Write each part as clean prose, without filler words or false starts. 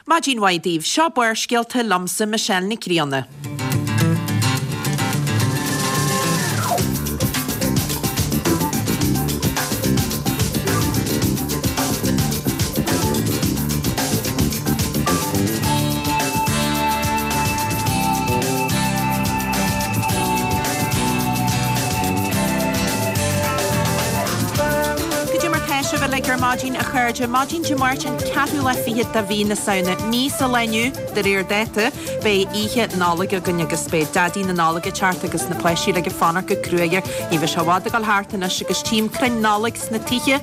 Maidin mhaith daoibh, seo Barrscéalta liomsa Michelle Nic Grianna. Goidé mar tá sibh uilig ar maidin, a chairde. Maidin Dé Máirt an ceathrú lá fichead de mhí na Samhna. Mí sa lá inniu, de réir dáta, beidh oíche Nollag againn agus beidh Daidí na Nollag ag teacht agus na páistí uilig ag fanacht go cruaidh air. Ní bheidh sé i bhfad ag dul thart anois agus tchím crainn Nollag sna tithe,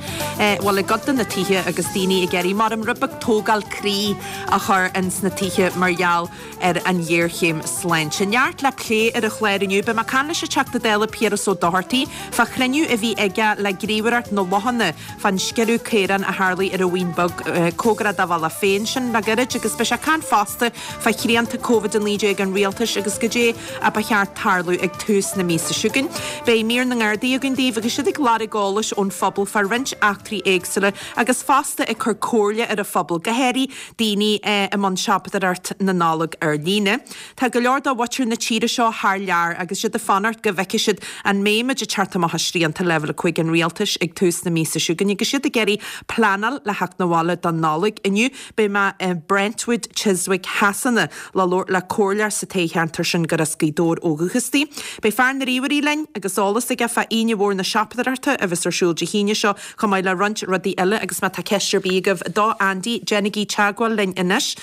bhuel i gcuid de na tithe agus daoine ag iarraidh mar rud beag tógáil croí a chur ins na tithe mar gheall ar an ghéarchéim sláinte. Neart le plé ar an chlár inniu. Beidh mé ag caint leis an Teachta Dála Piaras Ó Dochartaigh fá chruinniú a bhí aige le Gníomhaireacht na Lochanna fán sciorradh caorán a tharlaigh ar an Bhuíon Bheag, cóngarach dá bhaile féin sin le gairid agus beidh sé ag caint fosta fá shrianta Covid-19 an rialtais agus goidé a ba cheart tarlú ag tús na míosa seo chugainn. Beidh mír na nGardaí againn daoibh agus siad ag lorg eolais ón phobal fá roinnt eachtraí éagsúla agus fosta ag cur comhairle ar an phobal, go háirithe daoine i mbun siopadóireacht na Nollag ar líne. Tá go leor de mhuintir na tíre seo thar lear agus iad ag fanacht go bhfeicfidh siad an mbeidh muid ag teacht amach as srianta Leibhéal 5 an rialtais ag tús na míosa seo chugainn agus iad ag iarraidh pleanáil le theacht 'na bhaile don Nollaig. Inniu beidh mé i Brentwood, Chiswick Shasana le labhairt le comhairleoir sa toghcheantar sin gur as Gaoth Dobhair ó dhúchas di. Beidh fear na ríomhairí linn agus eolas aige fá Aoine Mhór na Siopadóireachta a bheas ar siúl Dé hAoine seo chomh maith le roinnt rudaí eile agus má tá ceist ar bith agaibh do Andy, déanaigí teagmháil linn anois.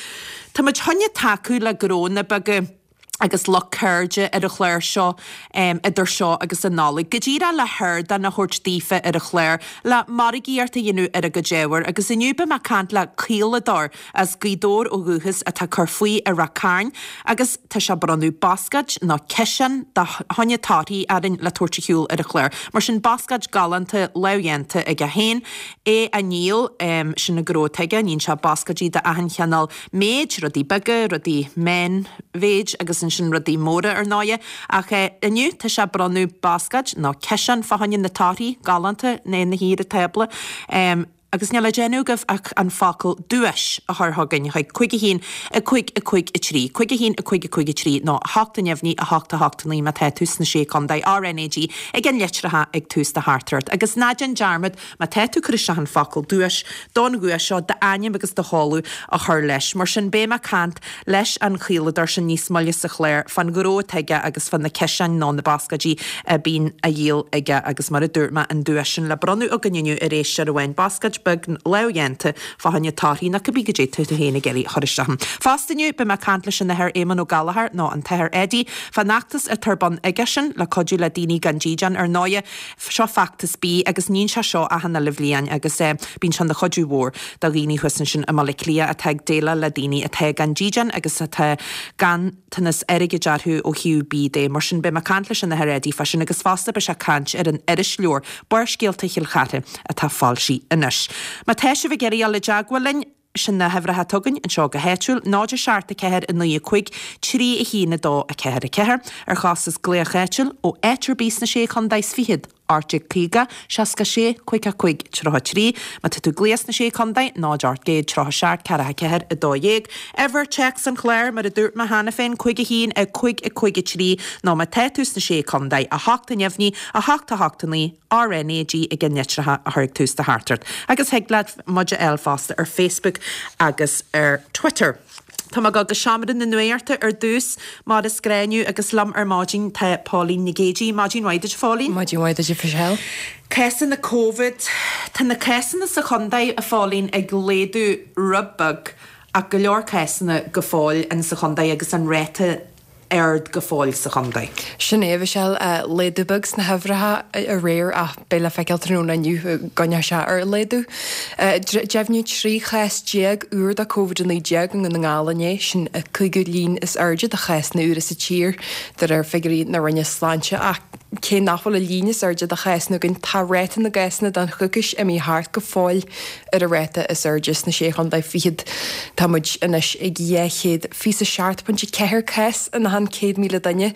Tá muid chun tacú le gnónna beaga agus lucht ceirde ar an chlár seo idir seo agus an Nollaig. Go díreach le hardán a thabhairt daofa ar an chlár le margaíocht a dhéanamh ar a gcuid ábhair agus inniu beidh mé ag caint le caoladóir as Gaoth Dobhair ó dhúchas atá ag cur faoi i Ráth Cairn agus tá sé ag bronnadh bascáid nó ciseán de choinne torthaí orainn le tabhairt ar shiúl ar an chlár. Mar sin bascáid galánta lámhdhéanta aige féin, é á ndíol, sin an gnó atá aige, níonn sé bascáidí de achan chineál méid, rudaí beaga, rudaí meánmhéid agus ansin rudaí móra ar ndóighe. Ach inniu tá sé ag bronnadh bascáid nó ciseán fá choinne na torthaí galánta ina shuí ar an tábla. Agus níl le déanamh agaibh ach an focal 'duais' a chur chugainn chuig 5 1 5 5 3, 5 1 5 5 3 nó 8 neamhní 8 8 9 má tá tú sna Sé Contae, RnaG ag an litreacha ag tús do theachtaireacht. Agus ná déan dearmad Má tá tú ag cur isteach an focal duais don dhuais seo, d'ainm agus do sheoladh a chur leis. Mar sin, beidh mé ag caint leis an chaoladóir sin níos moille sa chlár fán ghnó atá aige agus fá na ciseáin nó na bascáidí a bíonn á dhíol aige agus mar a dúirt mé, an duais sin le bronnadh againn inniu ar éisteoir amháin, bascáid beag lámhdhéanta fá choinne torthaí nó cibé goidé tá tú féin ag iarraidh a chur isteach ann. Fosta inniu, beidh mé ag caint leis an Athair Éamonn Ó Gallchóir nó an tAthair Eddie fán fheachtas atá ar bun aigesean le cuidiú le daoine gan dídean. Ar ndóighe, Seo feachtas bídh agus níonn sé seo achan uile bhliain agus bíonn sé ina chuidiú mhór do dhaoine thuas ansin i mBaile Átha Cliath atá ag déileáil le daoine atá gan dídean agus atá ganntanas airgid orthu ó thaobh bídh de. Mar sin beidh mé ag caint leis an Athair Eddie fá sin agus fosta beidh sé ag caint ar an irisleabhar Barrscéalta Chill Chartha atá foilsithe anois. Má tá sibh ag iarraidh dul i dteagmháil linn, Sin na huimhreacha atá againn anseo go háitiúil, 0 7 4 9 5 3 1 2 4 4, ar chostas glaoch áitiúil, ó áit ar bith sna Sé Chontae is Fichead, 1850 66 55 33. Má tá tú ag glaoch sna Sé Chontae, 0 837 4 4 12. Uimhir téacs an chláir, mar a dúirt mé cheana féin, 5 1 5 5 3, nó má tá tú sna Sé Chontae, 8 neamhní, 8 8 9, RnaG ag an litreacha a chur ag tús do theachtaireacht agus thig leat muid a fháil fosta ar Facebook agus ar Twitter. Tá mé ag dul go seomra na nuachta ar dtús mar is gnáth inniu agus liom ar maidin tá Póilín Nic Géidigh. Maidin mhaith duit a Phóilín. Maidin mhaith duit a Mhichelle. Cásanna Covid. Tá na cásanna sa chontae, a Phóilín, ag laghdú rud beag ach go leor cásanna go fóill in sa chontae agus an ráta ard go fóill sa chontae. Sin é, a Mhichelle. Laghdú beag sna huimhreacha aréir ach beidh le feiceáil tráthnóna inniu an gcoinneoidh sé ar laghdú. Deimhníodh 13 chás úr de Covid-19 i nDún na nGall inné, sin an cúigiú líon is airde de chásanna úra sa tír de réir figiúirí na Roinne Sláinte. Ach cé nach bhfuil an líon is airde de chásanna againn, tá ráta na gcásanna don choicís imithe thart go fóill ar an ráta is airde sna Sé Chontae Fichead. Tá muid anois ag 227.4 cás in achan. achan 100,000 duine.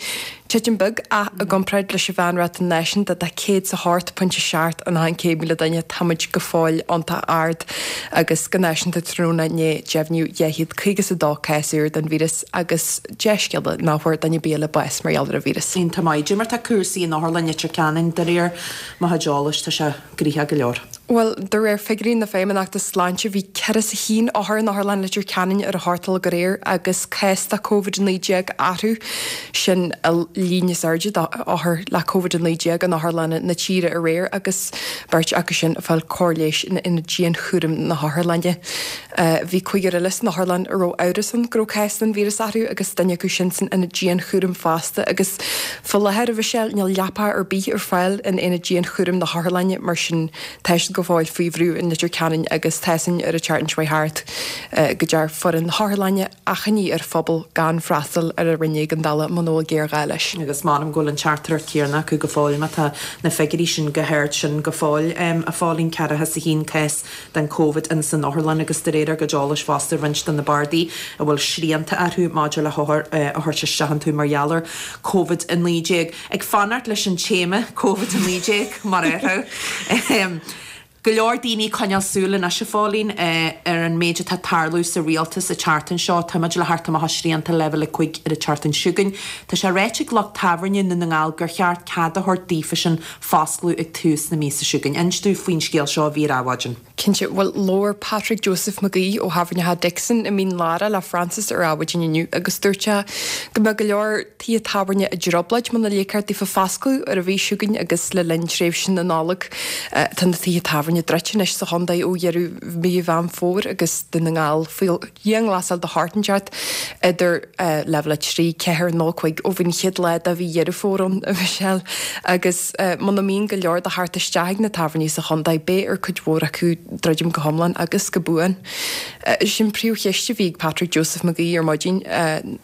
Titim beag ach i gcomparáid leis an mheánráta náisiúnta de 108.7 in achan 100,000 duine, tá muid go fóill iontach ard agus go náisiúnta tráthnóna inné deimhníodh 252 cás úr den víreas agus dea-scéala nach bhfuair duine ar bith eile bás mar gheall ar an víreas. Iontach maith. Cad é mar tá cúrsaí in Otharlann Leitir Ceanainn de réir mo chuid eolais, tá sé gnoitheach go leor. Bhuel, de réir figiúirí na Feidhmeannachta Sláinte, bhí 41 othar in Otharlann Leitir Ceanainn ar an 8 a chlog aréir agus cás de Covid-19 orthu. Sin an líon is airde d'othair le Covid-19 in otharlanna na tíre aréir agus beirt acu sin ag fáil cóir leighis in Aonad Dianchúraim na hOtharlainne. Bhí cúigear eile san otharlann a raibh amhras ann go raibh cás den víreas orthu agus duine acu sin san Aonad Dianchúraim fosta agus faoi láthair, a Mhichelle, níl leapa ar bith ar fáil in Aonad Dianchúraim na hOtharlainne mar sin tá siad go fóill faoi bhrú in Leitir Ceanainn agus tá a fhios againn ar an tseachtain seo thart go ndeir foireann na hOtharlainne achainí ar phobal gan freastal ar an roinn éigeandála muna bhfuil géarghá leis. Agus m'anam go bhfuil an teachtaireacht chéanna acu go fóill má tá na figiúirí sin chomh hard sin go fóill, a Phóilín, ceathracha is a haon cás den Covid ins an otharlann agus de réir ár gcuid eolais fosta roinnt de na bardaí a bhfuil srianta orthu maidir le hothair a thabhairt isteach iontu mar gheall ar Covid-19. Ag fanacht leis an téama Covid-19 mar a déarfá. Go leor daoine ag coinneáil súil anois, a Phóilín, ar an méid atá ag tarlú sa rialtas an tseachtain seo. Tá muid le theacht amach le srianta leibhéal 5 ar an tseachtain seo chugainn. Tá sé ráite ag lucht tábhairne i nDún na nGall gur cheart cead a thabhairt daofasan foscladh ag tús na míosa seo chugainn. Inis dúinn faoin scéal seo a bhí ar Adhmhaidin. Cinnte. Bhuel, labhair Patrick Joseph McGee ó Thábhairne Dixon i Mín Lárach le Frances ar Adhmhaidin inniu agus dúirt sé go mbeadh go leor tithe tábhairne i dtrioblóid muna ligfear daofa foscladh ar an mhí seo chugainn agus le linn tréimhse na Nollag. Tá na tithe tábhairne druidte anois sa chontae ó dheireadh mhí Mheán Fómhair agus Dún na nGall faoi dhianghlasáil de shórt inteacht idir leibhéal 3, 4 nó 5 ó bhí an chéad lá de mhí Dheireadh Fómhair ann, a Mhichelle. Agus muna mbíonn go leor de theacht isteach ag na tábhairní sa chontae, beidh ar cuid mhór acu druidim go hiomlán agus go buan. Sin príomhcheist a bhí ag Patrick Joseph McGee ar maidin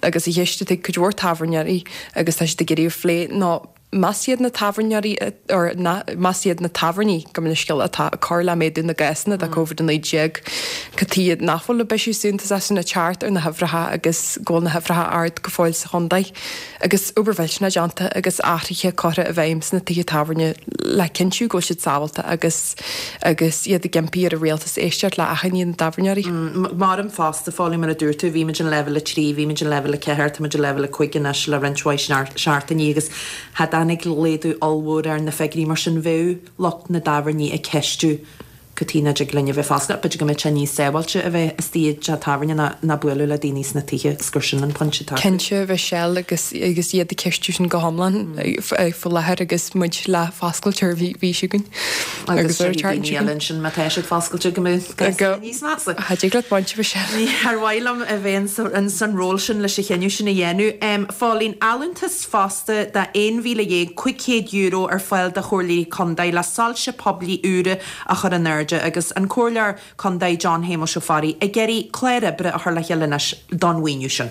agus an cheist atá ag cuid mhór tábhairneoirí agus tá siad ag iarraidh a phlé ná Más iad na tábhairneoirí, or más iad na tábhairní, gabh mo leithscéal, atá ag cur le méadú na gcásanna de Covid-19, cad chuige nach bhfuil an bisiú suntasach sin ag teacht ar na huimhreacha agus go bhfuil na huimhreacha ard go fóill sa chontae. Agus obair mhillteanach déanta agus athruithe curtha i bhfeidhm sna tithe tábhairne le cinntiú go bhfuil siad sábháilte agus agus iad ag impí ar an rialtas éisteacht le achainí na dtábhairneoirí. Maram fosta, a Phóilín, mar a dúirt tú, bhí muid in leibhéal 3, bhí muid in leibhéal 4, tá muid i leibhéal 5 anois le roinnt mhaith seachtainí agus cha dtáinig laghdú ollmhór ar na figiúirí mar sin bheadh lucht na dtábhairní ag ceistiú cad chuige nach dtig linn a bheith foscailte. B'fhéidir go mbeadh sé níos sábháilte a bheith istigh i dteach tábhairne ná ná bualadh le daoine sna tithe agus gur sin an pointe atá acu. Cinnte, Mhichelle, agus agus iad ag ceistiú sin go hiomlán faoi láthair agus muid le foscailt ar an mhí seo chugainn. Agus ar an tseachtain seo chugainn. Ansin má tá siad foscailte go mbeadh cúrsaí níos measa. Cha dtig leat baint, Mhichelle. Ní ar mhaith liom a bheith ins an ról sin leis an chinneadh sin a dhéanamh. Phóilín, allúntas fosta de €11,500 ar fáil do chomhairleoirí contae le soilse poiblí úra a chur in airde agus an Comhairleoir Contae John Shéamuis Ó Fearraigh ag iarraidh clár oibre a chur le chéile anois don mhaoiniú sin.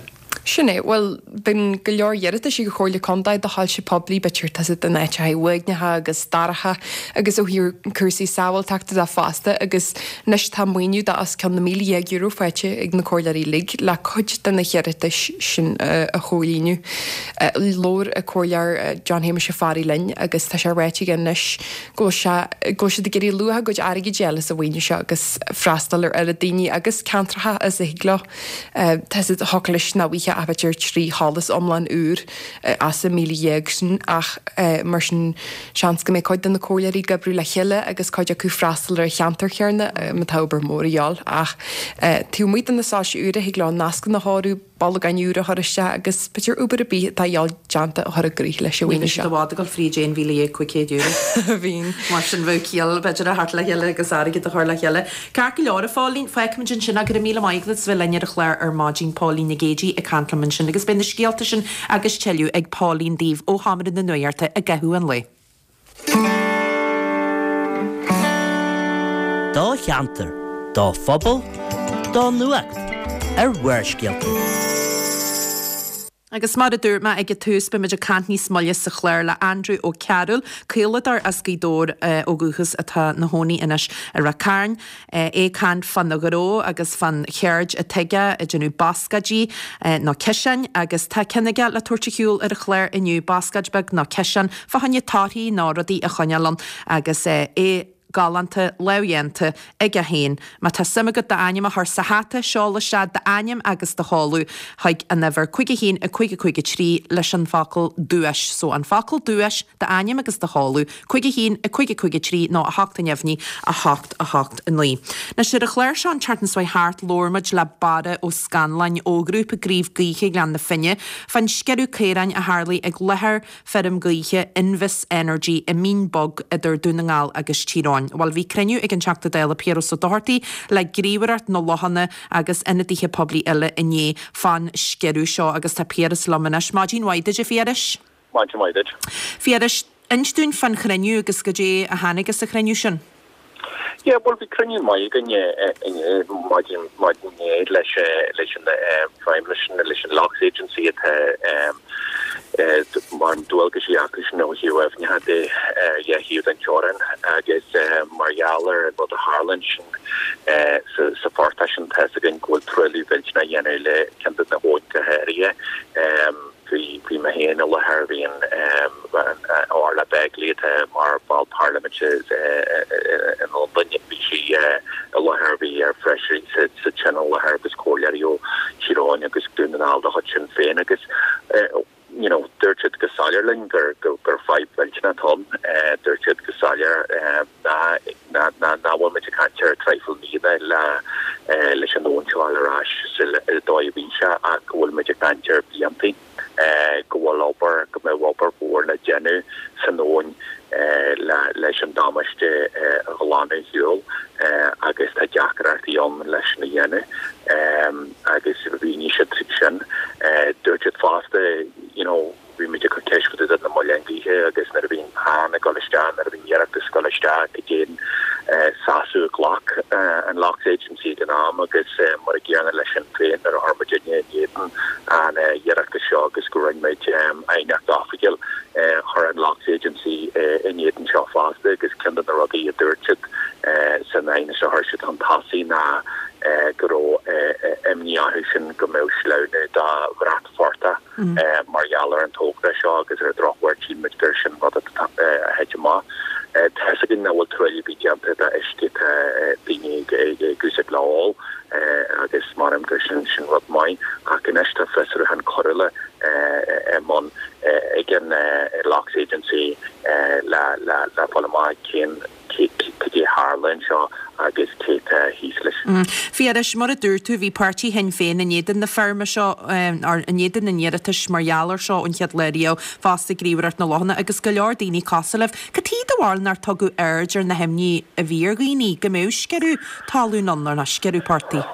Sin é. Bhuel, bíonn go leor iarratais ag an Chomhairle Contae do shoilse poiblí, b'fhéidir tá siad in áiteacha uaigneacha agus dorcha agus ó thaobh cúrsaí sábháilteachta de fosta agus anois tá maoiniú de os cionn na €1,000 faighte ag na comhairleoirí uilig le cuid de na hiarratais sin a chomhlíonadh. Labhair an Comhairleoir John Shéamuis Ó Fearraigh linn agus tá sé ráite aige anois go bhfuil sé, go bhfuil siad ag iarraidh luach a gcuid airgid a fháil as an mhaoiniú seo agus freastal ar oiread daoine agus ceantracha is a thig leo. Tá siad thiocfadh leis nach bhfaighfeá ach b'fhéidir 3 sholas iomlán úr as an 1,000 sin ach mar sin seans go mbeidh cuid de na comhairleoirí ag oibriú le chéile agus cuid acu freastal ar an cheantar chéanna má tá obair mhór a dhíobháil ach taobh amuigh de na soilse úra thig leo nascanna a chóiriú, bolgáin úra a chur isteach agus b'fhéidir obair ar bith atá a dhíobháil déanta a chur i gcrích leis an mhaoiniú seo. Ní bheidh siad i bhfad ag dul fríd €11,500. Bhíonn. Mar sin bheadh ciall b'fhéidir a theacht le chéile agus airgead a chur le chéile. Ceart go leor, a Phóilín, fágfaimid ansin é. Go raibh míle maith agat as bheith linn ar an chlár ar maidin, Póilín Nic Géidigh ag caint liom ansin agus beidh na scéalta sin agus tuilleadh ag Póilín daoibh ó Sheomra na Nuachta i gcaitheamh an lae. Do cheantar, do phobal, do nuacht ar Bharrscéalta. Agus mar a dúirt mé ag an tús, beimid ag caint níos moille sa chlár le Andrew Ó Cearúil, caoladóir as Gaoth Dobhair ó dhúchas atá 'na chónaí anois i Ráth Cairn. É ag caint fána ghnó agus fán cheird atá aige ag déanamh bascáidí nó ciseáin agus tá ceann aige le tabhairt ar shiúl ar an chlár inniu, bascáid beag nó ciseán fá choinne torthaí nó rudaí a choinneáil ann agus é galánta, lámhdhéanta aige féin. Má tá suim agat d'ainm a chur sa hata, seol isteach d'ainm agus do sheoladh chuig an uimhir 5 1 5 5 3 leis an bhfocal 'duais'. So an focal 'duais', d'ainm agus do sheoladh, 5 1 5 5 3 nó 8 neamhní 8 8 9. Anois ar an chlár seo an tseachtain seo thart labhair muid le Barra Ó Scanláin ó ghrúpa Gníomh Gaoithe Ghleann na Finne fán sciorradh caoráin a tharlaigh ag láthair feirm gaoithe Invus Energy i Mín Bog idir Dún na nGall agus Tír Eoghain. Bhuel, bhí cruinniú ag an Teachta Dála Piaras Ó Dochartaigh le Gníomhaireacht na Lochanna agus ionadaithe poiblí eile inné fán sciorradh seo agus tá Piaras liom anois. Maidin mhaith duit, a Phiarais. Maidin mhaith duit. Phiarais, inis dúinn fán chruinniú agus goidé a tháinig as an chruinniú sin. Yeah, bhuel bhí cruinniú maith againn inné, maidin maidin inné leis leis an feidhmeannas sin, leis an Loughs Agency atá mar dualgaisí acu sin ó thaobh aibhneacha de ar dhá thaobh den teorainn agus mar gheall ar an rud a tharla ansin sa sa phortach sin tá 'fhios againn go bhfuil truailliú millteanach á dhéanamh le ceann de na habhainn go háirithe. Bhí, bhí mé féin i láthair, bhí an, Orla Begley atá mar bhall parlaiminte i Londain, bhí sí i láthair, bhí ár bhfeisirí sa Tionól i láthair agus comhairleoirí ó Thír Eoghain agus Dún na nGall de chuid Sinn Féin agus you know dúirt siad go soiléir linn gur, gur fadhb mhillteanach atá ann. Dúirt siad go soiléir nach bhfuil muid ag caint ar traidhfil míonna le leis an abhainn seo a fháil ar ais sa dóigh a bhí sé ach go bhfuil muid ag caint ar bhliantaí, go bhfuil obair, go mbeadh obair mhór le déanamh san abhainn le leis an damáiste a ghlanadh ar shiúl agus tá deacrachtaí ann leis sin a dhéanamh agus mhínigh siad sin. Dúirt siad fosta, you know, Bhí muid ag cur ceist fá dtaobh de na muileann gaoithe agus nuair a bhíonn plean ag dul isteach, nuair a bhíonn iarratas ag dul isteach, cad é an seasamh a ghlac an Loughs Agency ag an am agus mar a gcéanna le Sinn Féin nuair a chuir muidinne in éadan an iarratais seo agus go rinne muid aighneacht oifigiúil, chuir an Loughs Agency in éadan seo fosta agus ceann de na rudaí a dúirt siad san aighneas a chuir siad chun tosaigh ná go raibh imní orthu sin go mbeadh sleamhnú de bhratphortach mar gheall ar an togra seo agus ar an drochuair tchíonn muid gur sin rud atá a thit amach. Tá fhios againn nach bhfuil truailliú ar bith déanta d'uisce atá daoine ag úsáid le ól agus measaim gur sin sin rud maith ach anois tá fiosrúchán coiriúla i mbun ag an Loughs Agency le le le fáil amach cén cad é a tharla anseo agus cé atá thíos leis. Phiarais, mar a dúirt tú, bhí páirtí Shinn Féin in éadan na feirme seo, or in éadan an iarratais mar gheall air seo ón chéad lá riamh, fosta Gníomhaireacht na Lochanna agus go leor daoine cosúil libh. Cad chuige do bharúil nár tugadh aird ar na himní a bhí ar dhaoine go mbeadh sciorradh talún ann, nó sciorradh portaigh?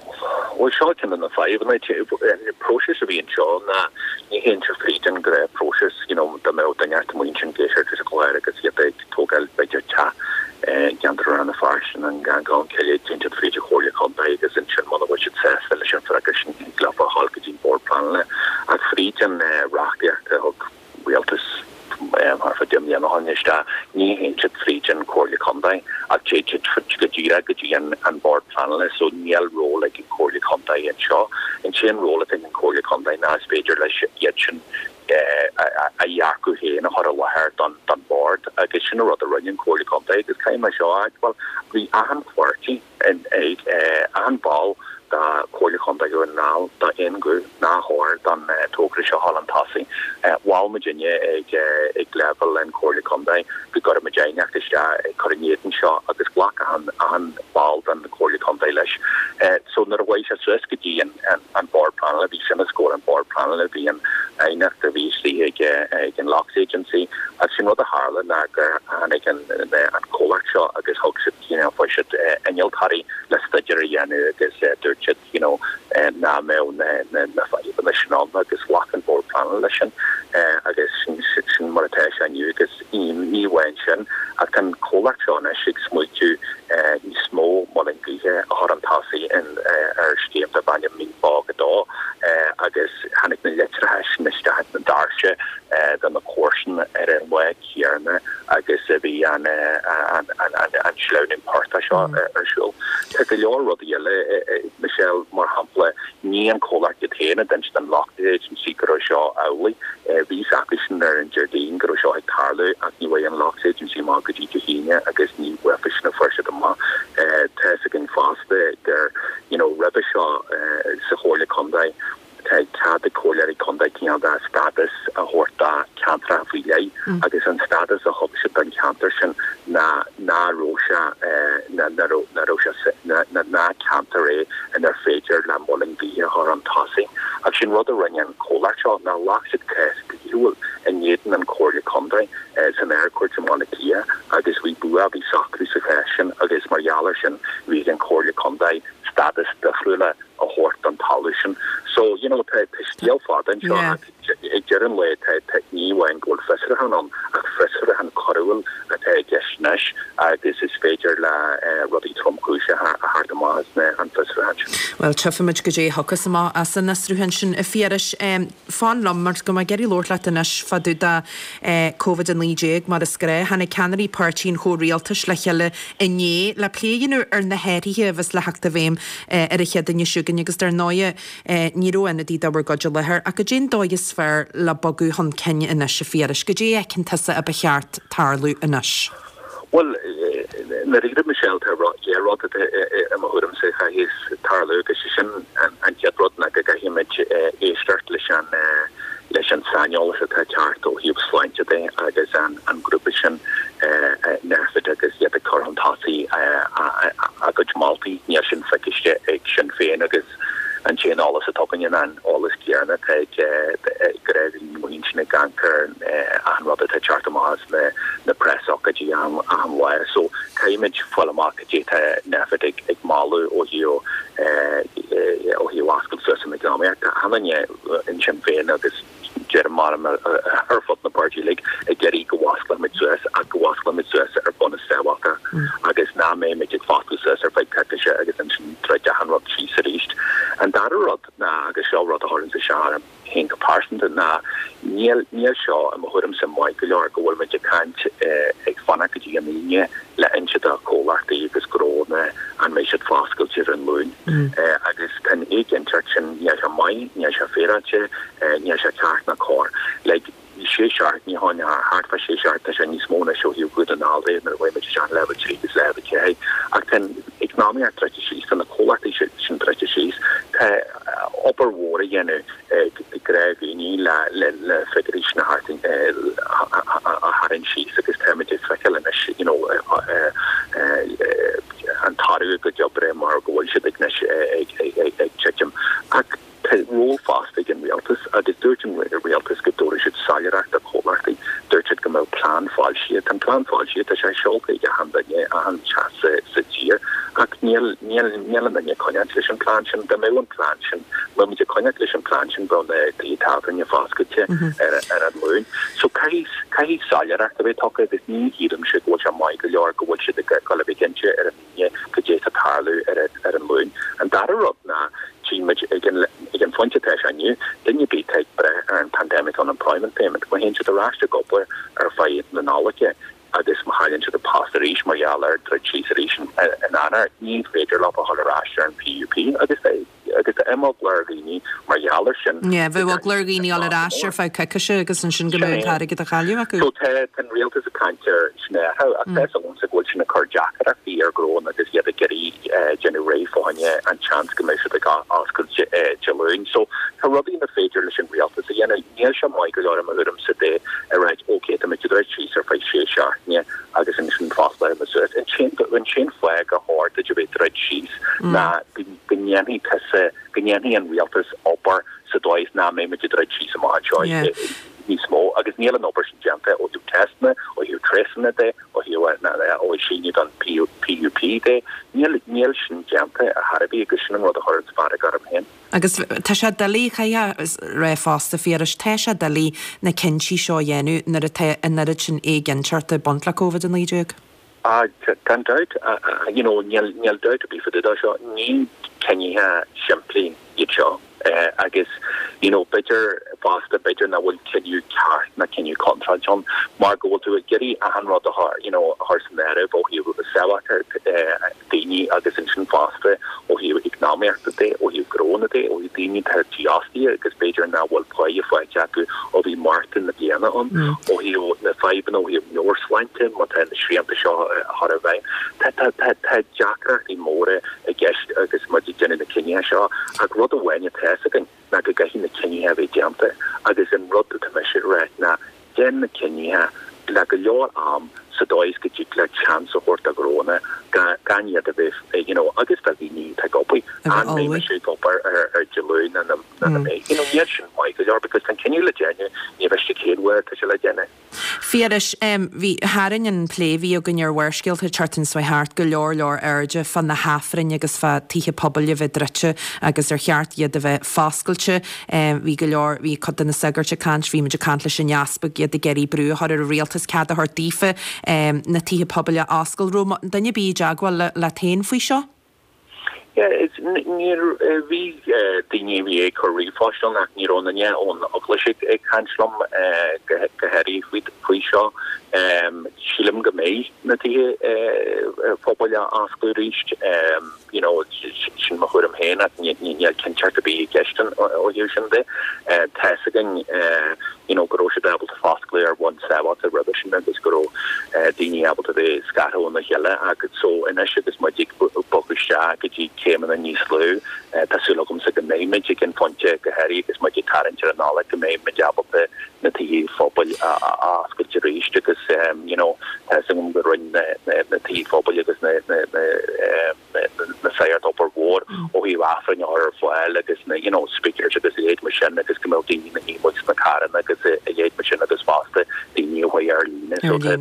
Bhuel, seo ceann de na fadhbanna. An próiseas a bhí anseo ná ní théann sé fríd an ghnáthphróiseas, you know, dá mbeadh duine inteacht amuigh ansin ag éisteacht leis an gclár agus iad ag tógáil b'fhéidir teach i gceantar Rann na Feirste nó an Gleann Cille, téann siad fríd an Chomhairle Contae agus ansin muna bhfuil siad sásta leis an bhfreagra sin thig leofa a ghabháil go dtí an Bord Pleanála. Ach fríd an reachtaíocht a thug rialtas thart fá 10 mbliana ó shin isteach, ní théann siad fríd an Chomhairle Contae ach téann siad go díreach go dtí an Bord Pleanála so níl ról ag an Chomhairle Contae anseo. An t-aon ról atá ag an Chomhairle Contae ná is féidir leis iad sin a dhearcadh féin a chur i láthair don Bhord agus sin an rud a rinne an Chomhairle Contae agus caithfidh mé seo a admháil, bhí achan pháirtí, achan ball de Chomhairle Contae Dhún na nGall d'aon ghuth nár chóir don togra seo a dhul chun tosaigh. Mhol muidinne ag ag leibhéal an Chomhairle Contae go gcuirfeadh muid aighneacht isteach ag cur in éadan seo agus ghlac achan achan ball den Chomhairle Contae leis. So nuair a chuaigh sé suas go dtí an an Bord Pleanála, bhí sin os comhair an Bord Pleanála, bhí an aighneacht a bhí istigh ag ag an Loughs Agency agus sin rud a tharla ná gur tháinig an an comhlacht seo agus thug siad you know fuair siad innealtóirí le staidéar a dhéanamh agus dúirt siad you know nach mbeadh na na na fadhbanna sin ann agus ghlac an Bord Pleanála leis sin agus sin sin mar atá sé inniu agus ní amháin sin ach tá an comhlacht seo anois ag smaoitiú níos mó muileann gaoithe a chur chun tosaigh ar scéim darb ainm Mín Bog 2 agus tháinig na litreacha sin isteach. comhlacht iad féin a d'inis don Locht Agency go raibh seo amhlaidh. Bhí fhios acusan ar an Déardaoin go raibh seo ag tarlú ach ní bhfuair an Locht Agency amach go dtí Dé hAoine agus ní uafa sin a fuair siad amach. Tá fhios againn fosta gur, you know, roimhe seo sa Chomhairle Contae, tá cead ag comhairleoirí contae cineál de stádas a thabhairt do cheantracha faoi leith agus an stádas a thug siad don cheantar sin ná ná raibh sé ná raibh sé ná ceantar é inar féidir le muileann gaoithe a chur chun tosaigh. Ach sin rud a rinne an comhlacht seo ná ghlac siad cás dlíthiúil in éadan an Chomhairle Contae san Ard-Chúirt i mBaile Átha Cliath agus bhí bua, bhí socrú sa chás sin agus mar gheall air sin bhí ag an Chomhairle Contae stádas difriúil a thabhairt don talamh sin. So, you know, tá scéal fada anseo ach ag deireadh an lae tá, tá, ní amháin go bhfuil fiosrúchán ann ach fiosrúchán coiriúil atá i gceist anois agus is féidir le rudaí tromchúiseacha a theacht amach as na, an fiosrúchán sin. Bhuel, tchífimid goidé a thiocfas amach as an fhiosrúchán sin, a Phiarais. Fan liom, mar go mbeidh mé ag iarraidh labhairt leat anois fá dtaobh de Covid-19 mar is gnách. Tháinig ceannairí páirtí an chomhrialtais le chéile inné le plé a dhéanamh ar na hathruithe a bheas le theacht i bhfeidhm ar an Chéadaoine seo chugainn agus dar ndóighe ní raibh ionadaí de bhur gcuid i láthair. Ach goidé an dóigh is fearr le bogadh chun cinn anois, a Phiarais? Goidé a fheiceann tusa a ba cheart tarlú anois? Bhuel, i ndáiríre, Michelle, tá dhá rud i mo thuairimse a chaithfeas tarlú agus sé sin an chéad rud ná go gcaithfimid éisteacht leis an leis an saineolas atá ag teacht ó thaobh sláinte de agus an grúpa sin Nphet agus iad ag cur chun tosaigh a gcuid moltaí. Níl sin feicthe ag Sinn Féin agus an t-aon eolas atá againne ná an eolas céanna atá ag gnáthdhaoine amuigh ansin ag amharc ar achan rud atá ag teacht amach as na preasócáidí achan lá. So caithfimid fáil amach cad é tá Nphet ag ag moladh ó thaobh ó thaobh oscailt suas an eacnamaíocht. Tá achan duine in Sinn Féin agus deirim mar ar fud na bpáirtí uilig ag iarraidh go bhfosclóimid suas ach go bhfosclóimid suas ar bhunús sábháilte agus nach mbeimid ag foscladh suas ar feadh coicíse agus ansin druid achan rud síos arís. An dara rud ná, agus seo rud a chuireann isteach orm féin go pearsanta, ná níl, níl seo i mo thuairimse maith go leor go bhfuil muid ag caint ag fanacht go dtí an Aoine le inse do chomhlachtaí agus gnónna an mbeidh siad foscailte ar an Luan. Agus tá an éiginnteacht sin, níl sé maith, níl sé féaráilte, níl sé ceart ná cóir. Like, sé seachtainí ó shin, thart fá sé seachtaine, tá sé níos mó anois ó thaobh Dhún na nGall de nuair a chuaigh muid isteach in leibhéal 3 agus leibhéal 4. Ach tá an eacnamaíocht druidte síos, tá na comhlachtaí sin druidte síos, tá obair mhór a dhéanamh ag gnáthdhaoine le na figiúirí sin a tharraingt síos agus táimid ag feiceáil anois you know an toradh a gcuid oibre mar go bhfuil siad ag anois ag titim. Ach tá ról fosta ag an rialtas agus dúirt an rialtas go dtabharfadh siad soiléireacht do chomhlachtaí. Dúirt siad go mbeadh plean foilsithe. Tá an plean foilsithe, tá sé seolta ag achan duine, achan teach sa tír ach níl, níl, níl aon duine ag coinneáilt leis an plean sin. Dá mbeadh an plean sin, mbeadh muid ag coinneáilt leis an plean sin, bheadh na tithe tábhairne foscailte ar ar an Luan. So caithfidh, caithfidh soiléireacht a bheith tugtha agus ní shílimse go bhfuil sé maith go leor go bhfuil siad ag dul a bheith cinnte ar an Aoine cad é atá ag tarlú ar ar an Luan. An dara rud ná, tchí muid ag an ag an phointe atá sé inniu, duine ar bith atá ag brath ar an Pandemic Unemployment Payment, má théann siad ar ais ag obair ar feadh na Nollag, agus má chailleann siad a bpost arís mar gheall ar druid síos arís in Eanáir, ní féidir leo a dhul ar ais ar an PUP agus agus tá imeagla ar dhaoine mar gheall air sin. Yeah, bheadh eagla ar dhaoine dhul ar ais ar feadh coicíse agus ansin go mbeadh an t-airgead á chailleadh acu. So tá an rialtas ag caint ar sin a athrú ach tá 'fhios agamsa go bhfuil sin ag cur deacaireachtaí ar ghnónna agus iad ag iarraidh déanamh réidh fá choinne an tseans go mbeidh siad ag oscailt Dé Luain. So tá rudaí nach féidir leis an rialtas a dhéanamh. Níl sé maith go leor i mo thuairimse de a ráit ok tá muid ag druid síos ar feadh sé seachtaine agus ansin fosclóidh muid suas. An t-aon fáth gur chóir duit a bheith ag druid síos ná go ndéanfaidh tusa, go ndéanfaidh an rialtas obair sa dóigh is nach mbeidh muid ag druid síos amach anseo níos mó agus níl an obair sin déanta ó thaobh teisteanna, ó thaobh triosanna de, ó thaobh síneadh don PUP de. Níl, níl sin déanta ar chor ar bith agus sin an rud a chuireann fearg orm féin. Agus tá sé doiligh, caithfidh a rá fosta, Phiarais, tá sé doiligh na cinntí seo a dhéanamh nuair atá an oiread sin éiginnteachta ag baint le Covid-19. Ah, gan dabht, you know, níl, níl dabht ar bith fá dtaobh de seo, ní cinntí simplí iad seo agus, you know, b'fhéidir. fosta b'fhéidir nach bhfuil cinneadh ceart ná cinneadh contráilte ann mar go bhfuil tú ag iarraidh achan rud a chur you know a chur san áireamh ó thaobh sábháilteacht daoine agus ansin fosta ó thaobh eacnamaíochta de, ó thaobh gnónna de, ó thaobh daoine atá dífhostaithe agus b'fhéidir nach bhfuil páighe faighte acu ó bhí Márta na bliana ann, ó thaobh na fadhbanna ó thaobh meabhairshláinte má tá na srianta seo á chur i bhfeidhm. Tá tá tá tá deacrachtaí móra i gceist agus muid ag déanamh na cinnithe seo ach rud amháin atá fhios againn ná go gcaithfidh na cinnithe a bheith déanta agus an rud atá mise ag rá ná déan na cinnithe le go leor am sa dóigh is go dtig leat seans a thabhairt do ghnónna gan iad a bheith you know agus do dhaoine atá ag obair, an mbeidh mise ag obair ar Dé Luain nó nach mbeidh, you know níl sin maith go leor because tá an cinneadh le déanamh, ní mhiste cén uair atá sé le déanamh. Phiarais, bhí, tharraing an plé a bhí againn ar Bharrscéalta an tseachtain seo thart go leor leor airde fá na hAifrinn agus fá tithe pobail a bheith druidte agus ar cheart iad a bheith foscailte. Bhí go leor, bhí cuid de na sagairt ag caint, bhí muid ag caint leis an easpag, iad ag iarraidh brú a chur ar an rialtas cead a thabhairt daofa na tithe pobail a oscailt. Raibh duine ar bith i dteagmháil leat féin faoi seo? Yeah, it's, níor, bhí daoine a bhí ag cur ríomhphoist ann ach ní raibh aon duine ón Eaglais ag caint liom go háirithe faoi seo. Sílim go mbeidh na tithe pobail á oscailt arís, you know, sin mo thuairim féin ach níl cinnteacht ar bith i gceist ó thaobh sin de. Tá fhios againn you know go raibh siad ábalta foscladh ar bhonn sábháilte roimhe sin agus go raibh daoine ábalta bheith scartha óna chéile ach so anois agus muid ag bogadh isteach go dtí céimeanna níos lú tá súil agamsa go mbeidh muid ag an phointe go háirithe agus muid ag tarraingt ar an Nollaig go mbeidh muid ábalta na tithe phobail a oscailt arís agus you know tá fhios agam go rinne na tithe phobail agus na na na sagairt obair mhór ó thaobh Aifrinn a chur ar fáil agus na you know speakers agus a leithéid mar sin agus go mbeadh daoine ina shuí amuigh sna carranna agus a leithéid mar sin agus fosta daoine a chuaigh ar líne so tá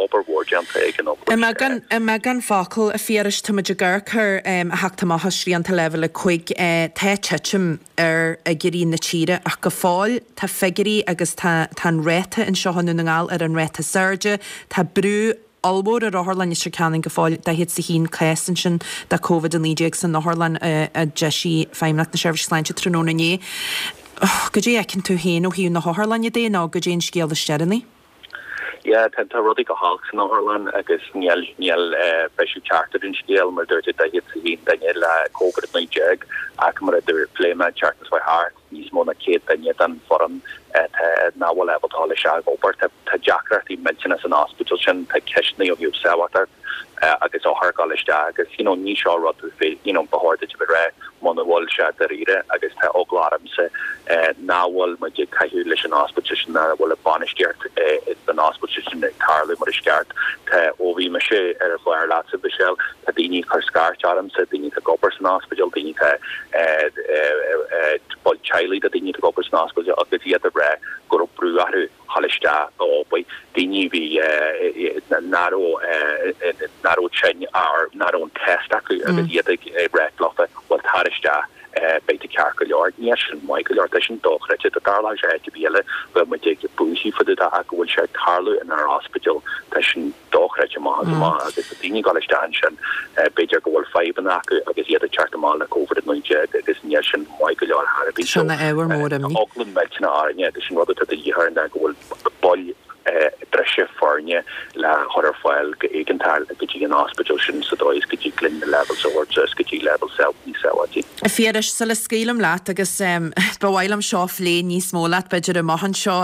obair mhór déanta ag an Eaglais. I mbeagán focal, a Phiarais, tá muid ag amharc ar a theacht amach as srianta leibhéal 5, tá titim ar fhigiúirí na tíre ach go fóill tá figiúirí agus tá tá an ráta anseo i nDún na nGall ar an ráta is airde, tá brú ollmhór ar Otharlann Leitir Ceanainn go fóill, 41 cás ansin de Covid-19 san otharlann a d'eisigh Feidhmeannacht na Seirbhíse Sláinte tráthnóna inné. Goidé a fheiceann tú féin ó thaobh na hotharlainne de nó goidé an scéal is deireanaí? Yeah, tá tá rudaí go holc san otharlann agus níl níl briseadh ceart ar an scéal mar a dúirt tú 41 duine le Covid-19 ach mar a dúirt phléigh mé an tseachtain seo thart. níos mó ná 100 duine den foireann atá nach bhfuil ábalta dul isteach ag obair. Tá deacrachtaí millteanna san ospidéal sin, tá ceisteanna ó thaobh sábháilteacht agus othair ag dul isteach agus you know ní seo rud you know ba chóir duit a bheith ag rá muna bhfuil sé dáiríre agus tá eagla ormsa nach bhfuil muid ag caitheamh leis an ospidéal sin, nach bhfuil an bainistíocht den ospidéal sin ag tarlú mar is ceart. Tá ó bhí mise ar an chlár leatsa Michelle, tá daoine ag cur scairt ormsa, daoine atá ag obair san ospidéal, daoine atá baill teaghlaigh de daoine atá ag obair san ospidéal agus iad ag rá go raibh brú orthu dhul isteach ag obair, daoine a bhí nach raibh nach raibh tinn or nach raibh an test acu agus iad ag rá leofa bhuel tar isteach beidh tú ceart go leor. Níl sin maith go leor, tá sin dochreidte, dá dtarlódh sé áit ar bith eile bheadh muid ag buachaidh fá dtaobh de ach go bhfuil sé ag tarlú inár ospidéal tá sin dochreidte amach is amach agus tá daoine ag dul isteach ansin, b'fhéidir go bhfuil fadhbanna acu agus iad ag teacht amach le Covid-19 agus níl sin maith go leor ar chor ar bith. Seo ina ábhar mór imní. Tá eagla millteanach orainne agus an rud atá de dhíth orainn ná go bhfuil baill breise foirne le chur ar fáil go éigeantach go dtí an ospidéal sin sa dóigh is go dtig linn na levels a thabhairt suas go dtí leibhéal níos sábháilte. A Phiarais, sula scaoilim leat agus ba mhaith liom seo a phlé níos mó leat b'fhéidir amach anseo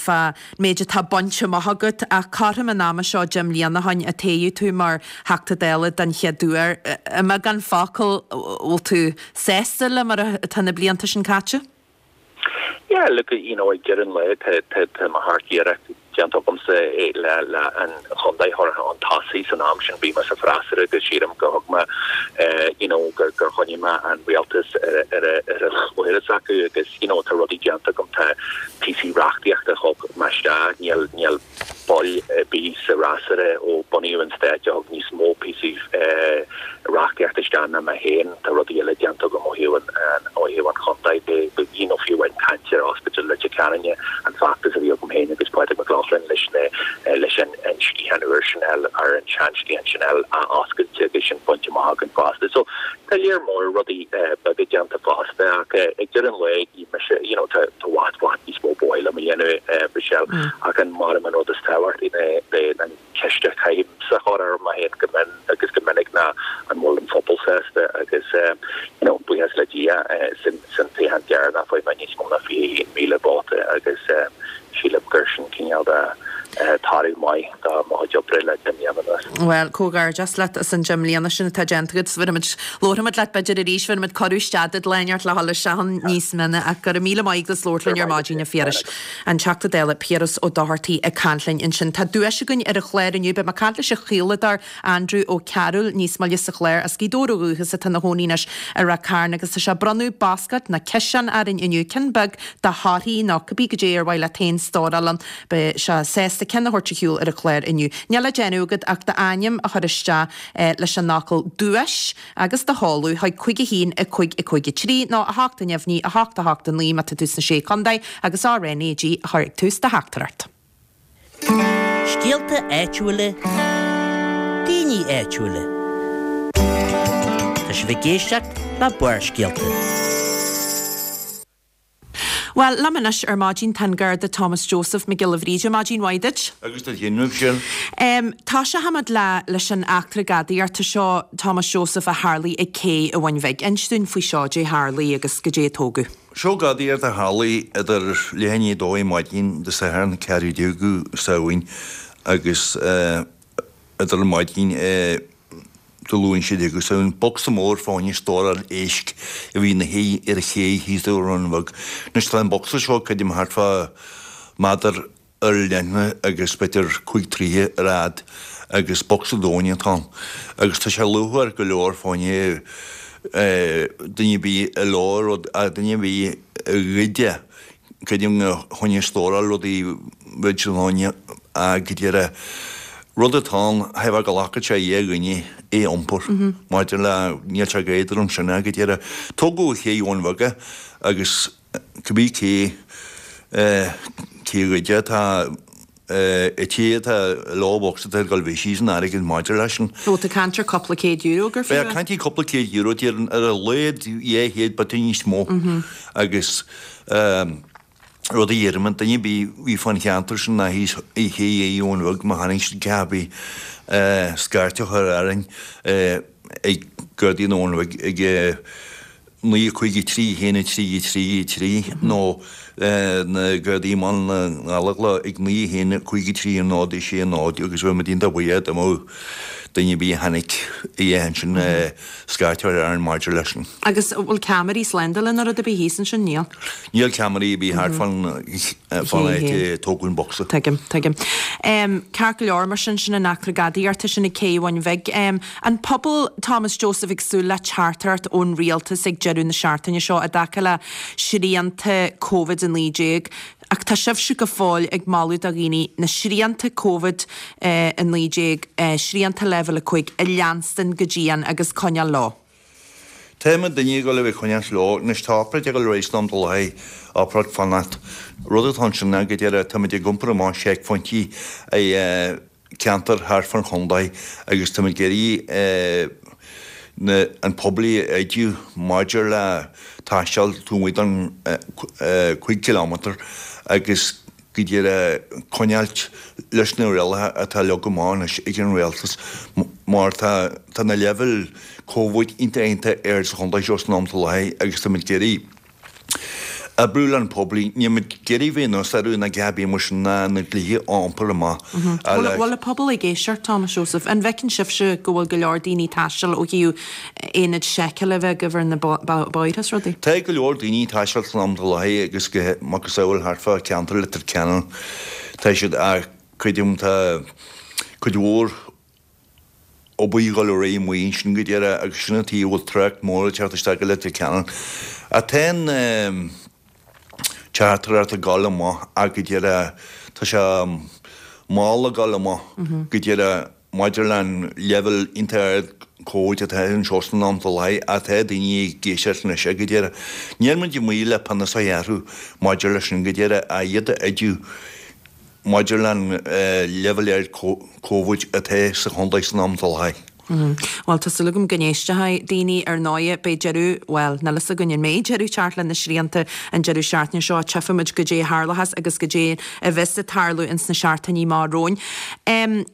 fá méid atá bainte amach agat, ach cothrom an ama seo 10 mbliana ó shin a toghadh tú mar Theachta Dála den chéad uair. I mbeagán focal, bhfuil tú sásta le mar atá na blianta sin caite? Yeah, look, you know, ag deireadh an lae, tá, tá, tá mo sheacht iarracht déanta agamsa le, le an chontae a chur chun tosaigh san am sin bhí mé sa freasúra agus sílim go thug mé, you know, gur, gur choinnigh mé an rialtas ar a, ar a, ar a chluthar s'acu agus, you know, tá rudaí déanta agam, tá píosaí reachtaíochta a thug mé isteach, níl, níl ball ar bith sa fhreasúra ó bunaíodh an stát a thug níos mó píosaí reachtaíochta isteach ná mé féin, tá rudaí eile déanta agam ó thaobh an, ó thaobh an chontae de, you know, fiú amháin caint ar Ospidéal Leitir Ceanainn, an feachtas a bhí agam féin agus Pádraig Mac Lochlainn leis na, leis an, an sciathán úr sin a fháil, ar an sean-sciathán sin a fháil athoscailte agus sin bainte amach againn fosta. So, tá léar mór rudaí beaga déanta fosta ach. Ag deireadh an lae, ní mise, you know, tá i bhfad, bhfad níos mó ba mhaith liom a dhéanamh, Michelle, ach an mar an rud is tábhachtaí ná an ceist a chaithimse a chur orm féin go mion agus go minic ná an bhfuil an phobal sásta agus, you know, buíochas le Dia, san toghchán deireanach fuair mé níos mó ná 21,000 vóta agus sílim gur sin cineál de toradh maith do mo chuid oibre le 10 mbliana anuas. Bhuel, comhghairdeas leat as an 10 mbliana sin atá déanta agat. Bhéarfaimid, labharfaimid leat b'fhéidir arís, bhéarfaimid cuireadh isteach duit lá inteacht le dhul isteach ann níos mine ach go raibh míle maith agat as labhairt linn ar maidin a Phiarais. An Teachta Dála Piaras Ó Dochartaigh ag caint linn ansin. Tá duais againn ar an chlár inniu. Beidh mé ag caint leis an chaoladóir Andrew Ó Cearúil níos moille sa chlár. As Gaoth Dobhair ó dhúchas atá ina chónaí anois i Ráth Cairn agus tá sé ag bronnadh bascáid nó ciseán orainn inniu, ceann beag de thorthaí nó cibé goidé ar mhaith leat féin stóráil ann. Beidh sé sásta ceann a thabhairt ar shiúl ar an chlár inniu. Níl le déanamh agat ach d'ainm a chur isteach leis an fhocal 'duais' agus do sheoladh chuig 5 1 5 5 3 nó 8 neamhní 8 8 9 má tá tú sna Sé Chontae agus RnaG a chur ag tús do theachtaireacht. Scéalta áitiúla, daoine áitiúla. Tá sibh ag éisteacht le Barrscéalta. Bhuel, liom anois ar maidin tá an Garda Thomas Joseph Mac Giolla Bhríde. Maidin mhaith duit. Agus duit féin, Michelle. Tosóchaimid le leis an eachtra gadaíochta seo, Thomas Joseph, a tharlaigh ag cé i Bhun Bhig. Inis dúinn faoi seo, dé tharlaigh agus goidé a tógadh. Seo gadaíocht a tharlaigh idir leath i ndiaidh a dó ar maidin Dé Sathairn, 14ú Samhain agus idir maidin Dé Luain 16ú Samhain. Bocsa mór fá choinne stóráil éisc a bhí ina shuí ar an ché thíos i Bhun Bheag. Anois tá an bocsa seo creidim thart fá méadar ar leithne agus b'fhéidir 5 troighe ar fhad agus bocsa domhain atá ann. Agus tá sé luachmhar go leor fá choinne duine ar bith a leor rud, duine ar bith a ghoid é. Creidim fá choinne stóráil rudaí bheadh siad ann go deireadh. Rud atá ann, theifeadh go nglacfadh sé a dhuine é a iompar maidir le, níl sé go éadrom sin go deireadh. Tógadh i Ché Bhun Bheag é agus cibé cé cé a ghoid é tá an té atá leo bocsa atá ag dul bheidh síos an airgead maidir leis sin. Ó tá caint ar cúpla céad euro gur fiú é. Bheadh caint ar cúpla céad euro déarfainn ar a laghad 200 b'fhéidir níos mó agus rud a deirim duine ar bith a bhí fán cheantar sin ná thíos i Ché Bhun Bheag má chonaic siad cé bith scairt a chur orainn ag Gardaí na Bhun Bhig ag 9 5 3 1 3 3 3 nó na Gardaí i mBaile na nGallóglach ag 9 1 5 3 0 6 0 agus bheadh muid iontach buíoch dá mbeadh duine ar bith a chonaic é ansin scairt a chur orainn maidir leis sin. Agus an bhfuil ceamaraí slándála nó rud ar bith thíos ansin? Níl. Níl ceamaraí ar bith thart fán áit a tógadh an bocsa. Tuigim, tuigim. Ceart go leor, mar sin, sin an eachtra gadaíochta sin ag Cé Bhun Bhig. An pobal, Thomas Joseph ag súil le teachtaireacht ón rialtas ag deireadh na seachtaine seo i dtaca le srianta Covid-19 ach tá sibhse go fóill ag moladh do dhaoine na srianta Covid-19, srianta Leibhéal 5, a leanstan go dian agus coinneáil leo. Tá muidinne ag dul a bheith coinneáilt leo. Anois tá obráid ag dul ar aghaidh san am atá i láthair, obráid fanacht. Rud atá ansin ná go deireadh táimid ag iompar amach seicphointí i ceantair thart fán chontae agus táimid ag iarraidh na an pobal a oideadh maidir le taisteal taobh amuigh den 5 kilometre agus go díreach coinneáilt leis na rialacha atá leagtha amach anois ag an Rialtas mar tá tá na leibhéil Covid iontach iontach ard sa chontae seo san am atá i láthair agus táimid ag iarraidh oibriú le an pobal. Nílimid ag iarraidh bheith anuas orthu ná a dhath ar bith mar sin ná na dlíthe a iompar amach. Bhfuil an pobal ag éisteacht, Thomas Joseph? An bhfeiceann sibhse go bhfuil go leor daoine ag taisteal ó thaobh aonaid seiceála a bheith agaibh ar na bóithre is rudaí? Tá go leor daoine ag taisteal san am atá i láthair agus go macasamhail thart fá cheantar Leitir Ceanainn tá siad ach creidim tá cuid mhór obair ag dul ar aghaidh amuigh ansin go deireadh agus sin an tuige a bhfuil trácht mór ag teacht isteach go Leitir Ceanainn. Ach tá an teachtaireacht ag dul amach ach go deireadh tá sé mall ag dul amach go deireadh maidir le an leibhéal iontach ard Covid atá anseo san am atá i láthair ach tá daoine ag éisteacht anois go deireadh. Níl muid amuigh le pionós a ghearradh maidir leis sin go deireadh ach iad a oideadh maidir le an leibhéal ard Covid atá sa chontae san am atá i láthair. Bhuel, tá súil agam go n-éistfidh daoine. Ar ndóighe, beidh deireadh, bhuel, níl fhios againn an mbeidh deireadh ag teacht le na srianta an deireadh seachtaine seo. Tchífimid goidé a tharlóchas agus goidé a bheas ag tarlú ins na seachtainí amach romhainn.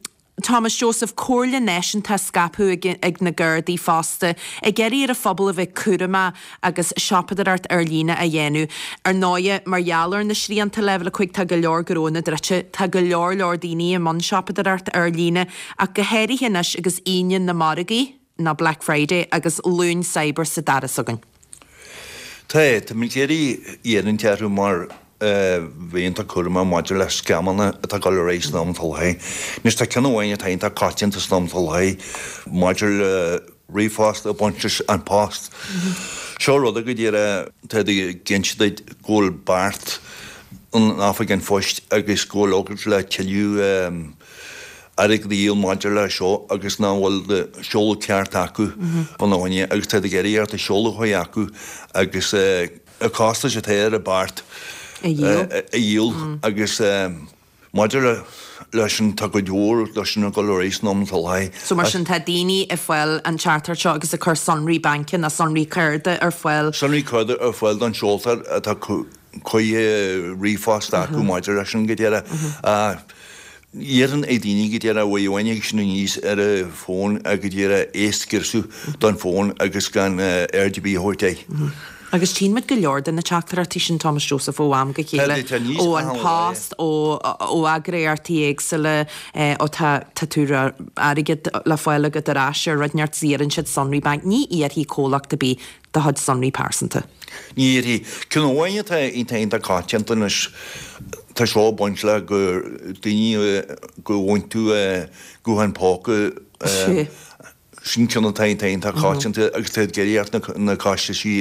Thomas Joseph, Comhairle náisiúnta á scaipeadh ag na Gardaí fosta, ag iarraidh ar an phobal a bheith cúramach agus siopadóireacht ar líne a dhéanamh. Ar ndóighe, mar gheall ar na srianta Leibhéal 5 tá go leor gnónna druidte, tá go leor leor daoine i mbun siopadóireacht ar líne ach go háirithe anois agus Aoine na Margaí, nó Black Friday, agus Luan Cyber sa doras againn. Tá, táimid ag iarraidh iarraidh orthu mar bheith iontach cúramach maidir le scamanna atá ag dul ar aghaidh san am atá i láthair. Anois tá ceann amháin atá iontach coitianta san am atá i láthair maidir le ríomhphost ag baint leis An Post. Seo rud go díreach tá ag inse duit go bhfuil beart in Oifig an Phoist agus go bhfuil agad le tuilleadh airgid a dhíol maidir le seo agus nach bhfuil do sheoladh ceart acu fána choinne agus tá ag iarraidh ort do sheoladh a chur acu agus na costais atá ar an beart a dhíol agus maidir leis sin tá cuid mhór de sin ag dul ar aghaidh san am atá i láthair. So mar sin tá daoine ag fáil an teachtaireacht seo agus ag cur sonraí baince nó sonraí cárta ar fáil. Sonraí cárta ar fáil don seoltóir atá chuig ríomhphost acu maidir leis sin go díreach. Iarrann ag daoine go díreach uaidh amháin ag sin aníos ar a bhfón go díreach é scriosadh don fón agus gan aird ar bith a thabhairt air. Agus tchíonn muid go leor de na teachtaireachtaí sin, Thomas Joseph, ó am go chéile, ó An Post, ó eagraíochtaí éagsúla, ó tá tá tú airgead le fáil agat ar ais ar rud inteacht 's iarrann siad sonraí bainc. Ní iarrfaidh comhlacht ar bith do chuid sonraí pearsanta. Ní iarrfaidh. Ceann amháin atá iontach iontach coitianta anois, tá seo ag baint le go daoine go bhfaigheann tú guthán póca, sin ceann atá iontach iontach coitianta agus tá ag iarraidh ort na costaisí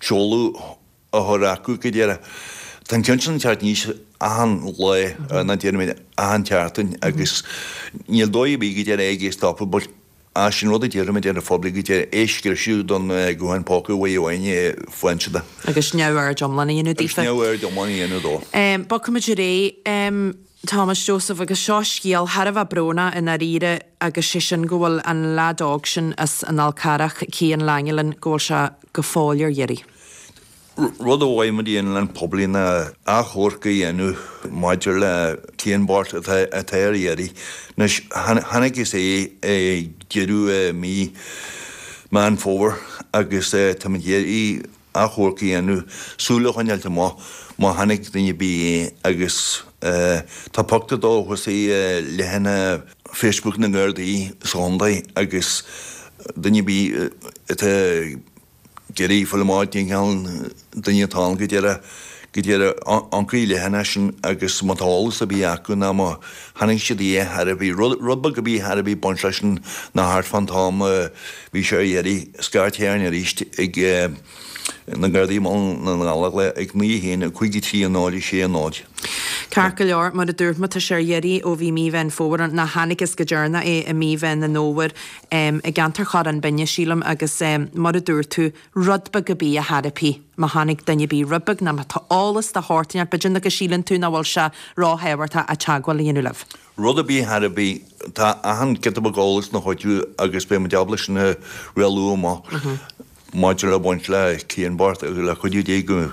seoladh a chur acu go díreach. Tá an ceann sin ag teacht aníos achan lá, ná déarfaimid achan tseachtain agus níl dóigh ar bith go díreach é a stopadh but Ah, sin rud a déarfaimid ar an phoiblí go díreach é scriosadh don guthán póca uaidh amháin fáin siad. Agus neamhaird iomlán a dhéanamh daofa. Agus neamhaird iomlán a dhéanamh dó. Bogfaimid ar aghaidh, Thomas Joseph, agus seo scéal thar a bheith brónach i ndáiríre agus sé sin go bhfuil an leaid óg sin as an Fhál Carrach, Cian Langelan, go bhfuil sé go fóill ar iarraidh. Rud a mhaith muid a dhéanamh le an poiblí ná achomharc a dhéanamh maidir le Cian bocht atá ar iarraidh. Anois, chonacthas é ag deireadh mí Meán Fómhair agus táimid ag iarraidh achomharc a dhéanamh, súil a choinneáilt amach má chonaic duine ar bith é agus tá pictiúr dó thuas i leathanach Facebook na nGardaí sa chontae agus duine ar bith atá ag iarraidh fáil amach cén cineál duine atá ann go díreach, go díreach amharc ar an leathanach sin agus má tá eolas ar bith acu ná má chonaic siad é thar ar bith, rud, rud beag ar bith thar ar bith baint leis sin ná thart fán t-am a bhí sé ar iarraidh, scairt chugainn arís ag na Gardaí i mBaile na nGallóglach ag 9 1 5 3 0 6 0. Ceart go leor, mar a dúirt mé, tá sé ar iarraidh ó bhí mí Mheán Fómhair ann, ná chonacthas go deireanach é i mí Mheán an Fhómhair. i gceantar Chorrán Binne, sílim, agus mar a dúirt tú, rud beag ar bith a thairbhí, má chonaic duine ar bith rud beag nó má tá eolas de shórt inteacht, b'fhéidir nach go síleann tú nach bhfuil sé ró-thábhachtach ach teagmháil a dhéanamh libh. Rud ar bith thar ar bith, tá achan giota beag eolais ina chuidiú agus beidh muid ábalta sin a rialú amach. Maidir le baint le Cian bocht agus le cuidiú Dé go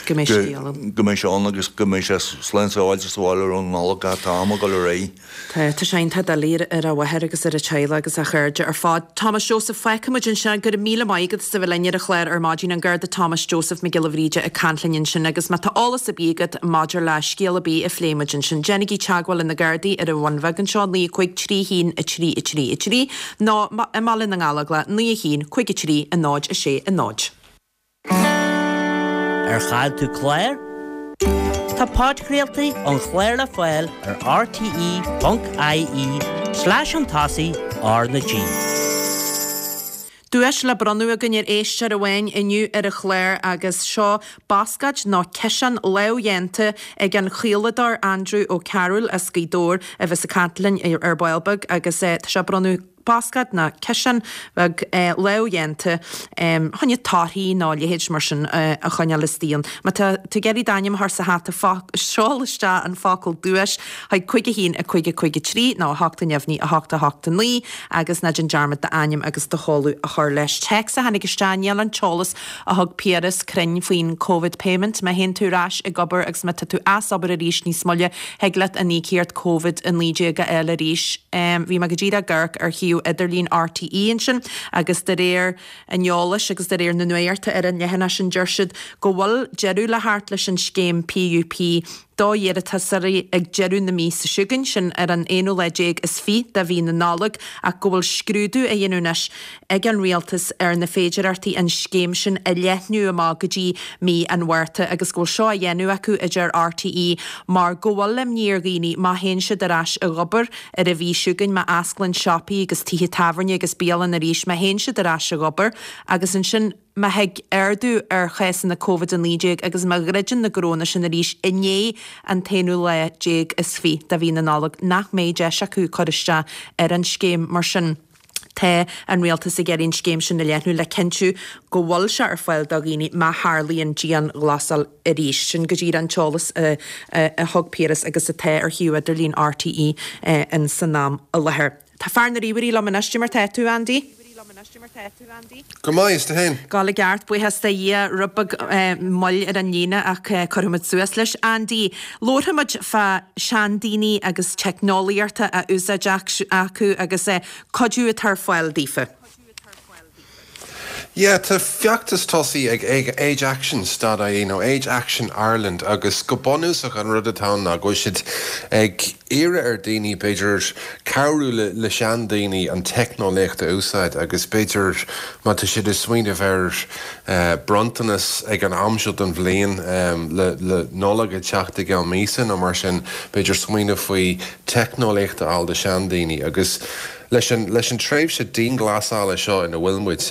Go mbeidh scéal ann. go mbeidh sé ann agus go mbeidh sé slán sábháilte sa bhaile roimh an Nollaig ach tá am ag dul ar aghaidh. Tá, tá sé iontach doiligh ar a mháthair agus ar a teaghlach agus a chairde ar fad. Thomas Joseph, fágfaimid ansin. Go raibh míle maith agat as a bheith linn ar an chlár ar maidin. An Garda Thomas Joseph Mac Giolla Bhríde ag caint linn ansin agus má tá eolas ar bith agat maidir le scéal ar bith a phléigh muid ansin, déanaigí teagmháil le na Gardaí ar an Bhun Bheag anseo, 9 5 3 1 3 3 3. Nó i mBaile na nGallóglach, 9 1 5 3 0 6 0. Ar chaill tú clár? Tá podchraoltaí an chláir le fáil ar rte.ie slash chun tosaigh R na G. Duais le bronnadh againn ar éisteoir amháin inniu ar an chlár agus seo bascáid nó ciseán lámhdhéanta ag an chaoladóir Andrew Ó Cearúil as Gaoth Dobhair a bheas ag caint linn ar ball beag agus tá sé á bronnadh. Bosca nó ciseán beag lámhdhéanta choinne torthaí nó a leithéid mar sin a choinneáil istigh ann. Má tá tú ag iarraidh d'ainm a chur sa hata, seol isteach an focal 'duais' chuig 5 1 5 5 3 nó 8 neamhní 8 8 9 agus ná déan dearmad d'ainm agus do sheoladh a chur leis. Téacs a tháinig isteach, níl an t-eolas a thug Piaras cruinn faoin Covid Payment. Má théann tú ar ais ag obair agus má tá tú as obair arís níos moille, thig leat an íocaíocht Covid-19 a fháil arís. Bhí mé go díreach ag amharc ar shuíomh idirlín RTÉ ansin agus de réir an eolais agus de réir na nuachta ar an leathanach sin deir siad go bhfuil deireadh le theacht leis an scéim PUP d'iarratasóirí ag deireadh na míosa seo chugainn, sin ar an aonú lá déag is fiche de mhí na Nollag, ach go bhfuil scrúdú á dhéanamh anois ag an Rialtas ar na féidearthachtaí an scéim sin a leathnú amach go dtí mí an Mhárta agus go bhfuil seo á dhéanamh acu, a deir RTÉ, mar go bhfuil imní ar dhaoine má théann siad ar ais ag obair ar an mhí seo chugainn, má osclaíonn siopaí agus tithe tábhairne agus bialanna arís, má théann siad ar ais ag obair agus ansin. Má thig ardú ar chásanna Covid-19 agus má dhruideann na gnónna sin arís i ndiaidh an t-aonú lá déag is fiche de mhí na Nollag, nach mbeidh deis acu cur isteach ar an scéim. Mar sin, tá an Rialtas ag iarraidh an scéim sin a leathnú le cinntiú go bhfuil sé ar fáil do dhaoine má tharlaíonn dianghlasáil arís. Sin go díreach an t-eolas a thug Piaras agus atá ar shuíomh idirlín RTÉ in san am i láthair. Tá fear na ríomhairí liom anois, Cad é mar tá tú, Andy? Go maith, is tú fhéin? Ag gabháil i gceart, buíochas do Dhia, rud beag moill ar an líne ach cuirfidh muid suas leis. Andy, labharfaidh muid fá seandaoine agus teicneolaíocht á úsáid acu agus cuidiú atá ar fáil daofa. Yeah, tá feachtas tosaithe ag Age Action dot ie nó Age Action Ireland agus go bunúsach an rud atá ann ná go bhfuil siad ag iarraidh ar daoine b'fhéidir cabhrú le seandaoine an teicneolaíocht a úsáid agus b'fhéidir má tá siad ag smaoineamh ar bronntanas ag an am seo den bhliain le Nollaig ag teacht i gceann míosa nó mar sin b'fhéidir smaoineamh faoi teicneolaíocht a fháil do seandaoine agus Leis an leis an tréimhse dianghlasála seo ina bhfuil muid,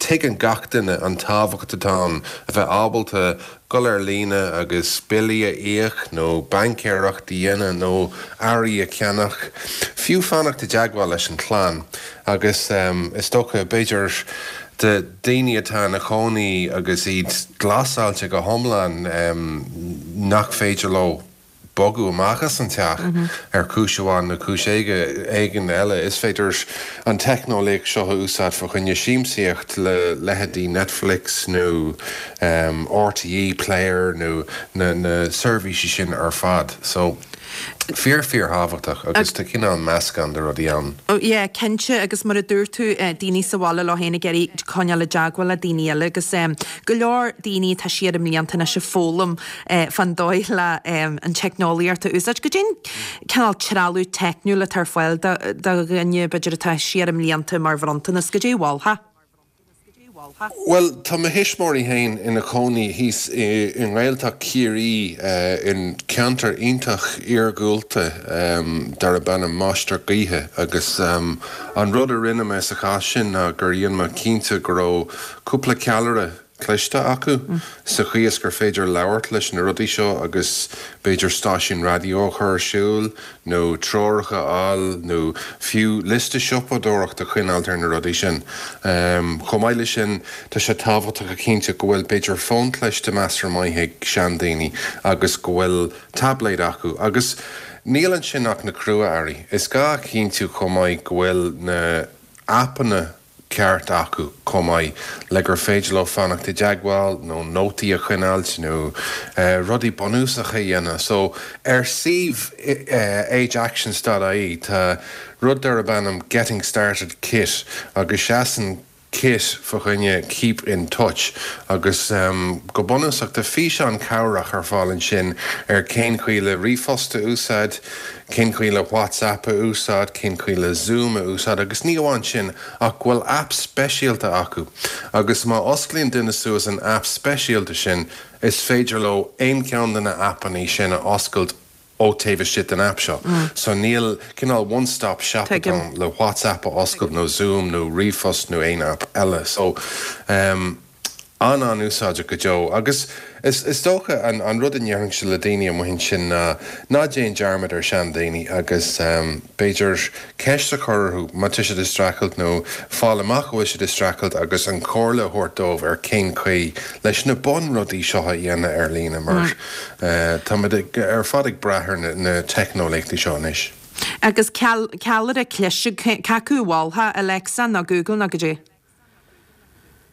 tuigeann gach duine an tábhacht atá ann a bheith ábalta dul ar líne agus billí a íoc nó baincéireacht a dhéanamh nó earraí a cheannach, fiú fanacht i dteagmháil leis an chlann. Agus is dócha, b'fhéidir, do daoine atá ina chónaí agus iad glasáilte go hiomlán, nach féidir leo bogadh amach as an teach ar chúis amháin nó cúis éigin eile, is féidir an teicneolaíocht seo a úsáid fá choinne siamsaíocht le leithéidí Netflix nó RTÉ Player nó na seirbhísí sin ar fad. So, fíor fíor thábhachtach agus tá cineál meascán de rudaí ann. Yeah, cinnte agus mar a dúirt tú, daoine sa bhaile leo féin ag iarraidh coinneáil i dteagmháil le daoine eile agus go leor daoine atá siar i mblianta anois ag foghlaim fán dóigh le an teicneolaíocht a úsáid. Goidé an cineál trealamh teicniúil atá ar fáil do dhuine, b'fhéidir, atá siar i mblianta mar bhronntanas? Goidé a mholfá? Bhuel, tá mo thuismitheoirí féin ina chónaí thíos i nGaeltacht Chiarraí, in ceantar iontach iargúlta darb ainm Máistir Gaoithe agus an rud a rinne mé sa chás sin ná gur dhein mé cinnte go raibh cúpla ceallra cliste acu sa chaoi is gur féidir labhairt leis na rudaí seo agus b'fhéidir stáisiún raidió a chur ar siúl nó treoracha a fháil nó fiú liosta siopadóireachta a choinneáilt ar na rudaí sin. Chomh maith leis sin, tá sé tábhachtach a chinntiú go bhfuil b'fhéidir fón cliste measartha maith ag seandaoine agus go bhfuil taibléad acu. Agus níl ansin ach na crua-earraí. Is gá a chinntiú chomh maith go bhfuil na aipeanna ceart acu chomh maith le gur féidir leo fanacht i dteagmháil nó nótaí a choinneáilt nó rudaí bunúsacha a dhéanamh. So ar suíomh ageactions dot ie tá rud darb ainm Getting Started Kit agus seasann kit fa choinne keep in touch agus go bunúsach tá físeán cabhrach ar fáil ansin ar cén chaoi le ríomhphost a úsáid, cén chaoi le WhatsApp a úsáid, cén chaoi le Zoom a úsáid agus ní amháin sin ach go bhfuil aip speisialta acu agus má osclaíonn duine suas an aip speisialta sin is féidir leo aon cheann de na aipeanna sin a oscailt ó taobh istigh den aip seo. So níl cineál one stop shop atá ann le WhatsApp a oscailt nó Zoom nó ríomhphost nó aon aip eile. So ehm. An-an-úsáideach go deo. Agus is dócha an rud a ndéarfainnse le daoine amuigh ansin ná ná déan dearmad ar seandaoine agus b'fhéidir ceist a chur orthu má tá siad ag streachailt nó fáil amach go bhfuil siad ag streachailt agus an chomhairle a thabhairt dóibh ar cén chaoi leis na bunrudaí seo a dhéanamh ar líne mar táimid ar fad ag brath ar na teicneolaíochtaí seo anois. Agus ceallra cliste, cé acu a mholfá, Alexa nó Google nó goidé?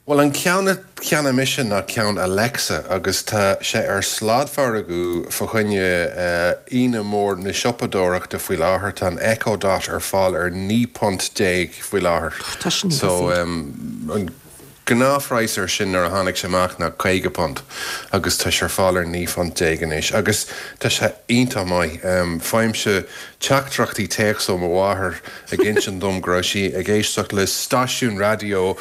Bhuel, an ceann a cheannaigh mise ná ceann Alexa agus tá sé ar sladmhargadh fa choinne Aoine Mhór na Siopadóireachta faoi láthair. Tá an Echo Dot ar fáil ar 19 punt faoi láthair. Tá sin níos So, an gnáthphraghas air sin nuair a tháinig sé amach ná 50 punt agus tá sé ar fáil ar 19 phunt anois agus tá sé iontach maith. Faighimse teachtaireachtaí téacs ó mo mháthair ag insint dom go raibh sí ag éisteacht le stáisiún raidió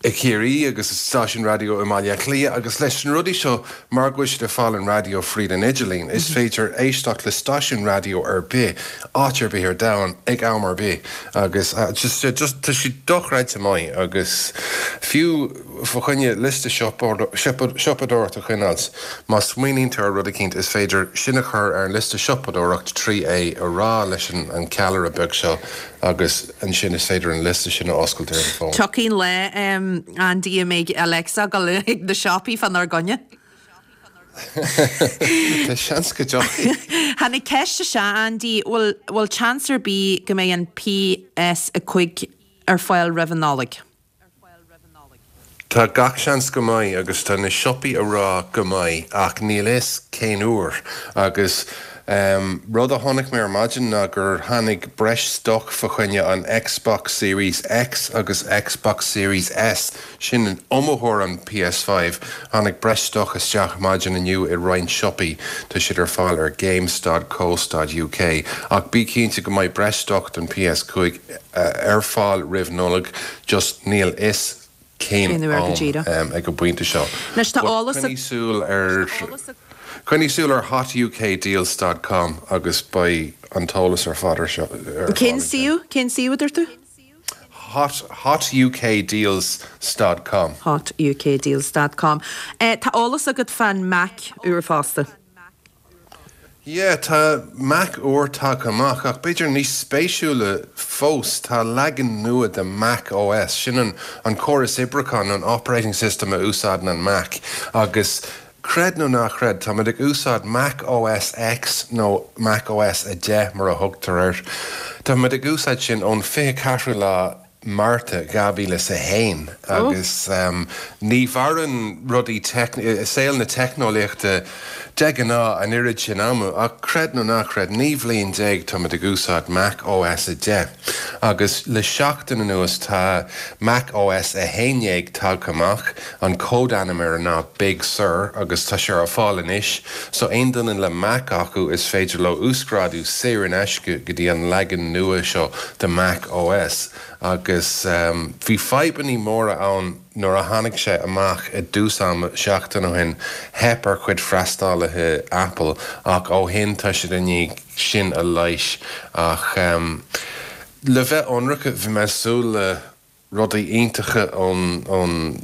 i Ciarraí agus stáisiún raidió i mBaile Átha Cliath agus leis na rudaí seo mar go bhfuil siad ag fáil an raidió fríd an idirlíon is féidir éisteacht le stáisiún raidió ar bith áit ar bith ar domhan ag am ar bith agus just just tá siad dochreidte maith agus fiú Fá choinne liosta siopadóireachta a choinneáilt, má smaoiníonn tú ar rud eicínt, is féidir sin a chur ar an liosta siopadóireacht trí é a rá leis an ceallra beag seo agus ansin is féidir an liosta sin a oscailt ar an bhfón. Tiocfaidh an lá, Andy, a mbeidh Alexa ag dul chuig na siopaí fánár gcoinne. Tá seans go dtiocfaidh. Tháinig ceist isteach, Andy, bhfuil bhfuil seans ar bith go mbeidh an PS5 ar fáil roimh an Nollaig? Tá gach seans go mbeidh agus tá na siopaí a rá go mbeidh ach níl fhios cén uair agus rud a chonaic mé ar maidin ná gur tháinig breis stoc fa choinne an Xbox Series X agus Xbox Series S, sin iomaitheoir an PS5, tháinig breis stoc isteach maidin inniu i roinnt siopaí, tá siad ar fáil ar games dot co dot uk ach bí cinnte go mbeidh breis stoc don PS5 ar fáil roimh Nollaig, just níl fhios cén am ag an bpointe seo. Anois tá eolas Coinnigh súil ar Coinnigh súil ar hotukdeals dot com agus beidh an t-eolas ar fad ar seo ar Cén suíomh? Cén suíomh a dúirt tú? Hot hotukdeals dot com. hotukdeals dot com. Tá eolas agat fán Mac úr fosta. Yeah, tá Mac úr tagtha amach, ach b'fhéidir níos spéisiúla fós, tá leagan nua de Mac OS, sin an an córas oibriúcháin nó an operating system a úsáideann an Mac, agus creid nó ná creid, táimid ag úsáid Mac OS X nó Mac OS 10 mar a thugtar air, táimid ag úsáid sin ón 24ú lá Márta 2001 agus ní mhaireann rudaí i saol na teicneolaíochta de ghnáth an oiread sin ama ach creid nó ná creid, 19 bhliain táimid ag úsáid Mac OS 10 agus le seachtain anuas tá Mac OS 11 tagtha amach, an códainm air ná Big Sur agus tá sé ar fáil anois so aon duine le Mac acu is féidir leo uasghrádú saor in aisce go dtí an leagan nua seo de Mac OS agus bhí fadhbannaí móra ann nuair a tháinig sé amach i dtús ama seachtain ó shin, theip ar chuid freastalaithe Apple ach ó shin tá siad i ndiaidh sin a leigheas ach le bheith ionraic bhí mé ag súil le rudaí iontacha ón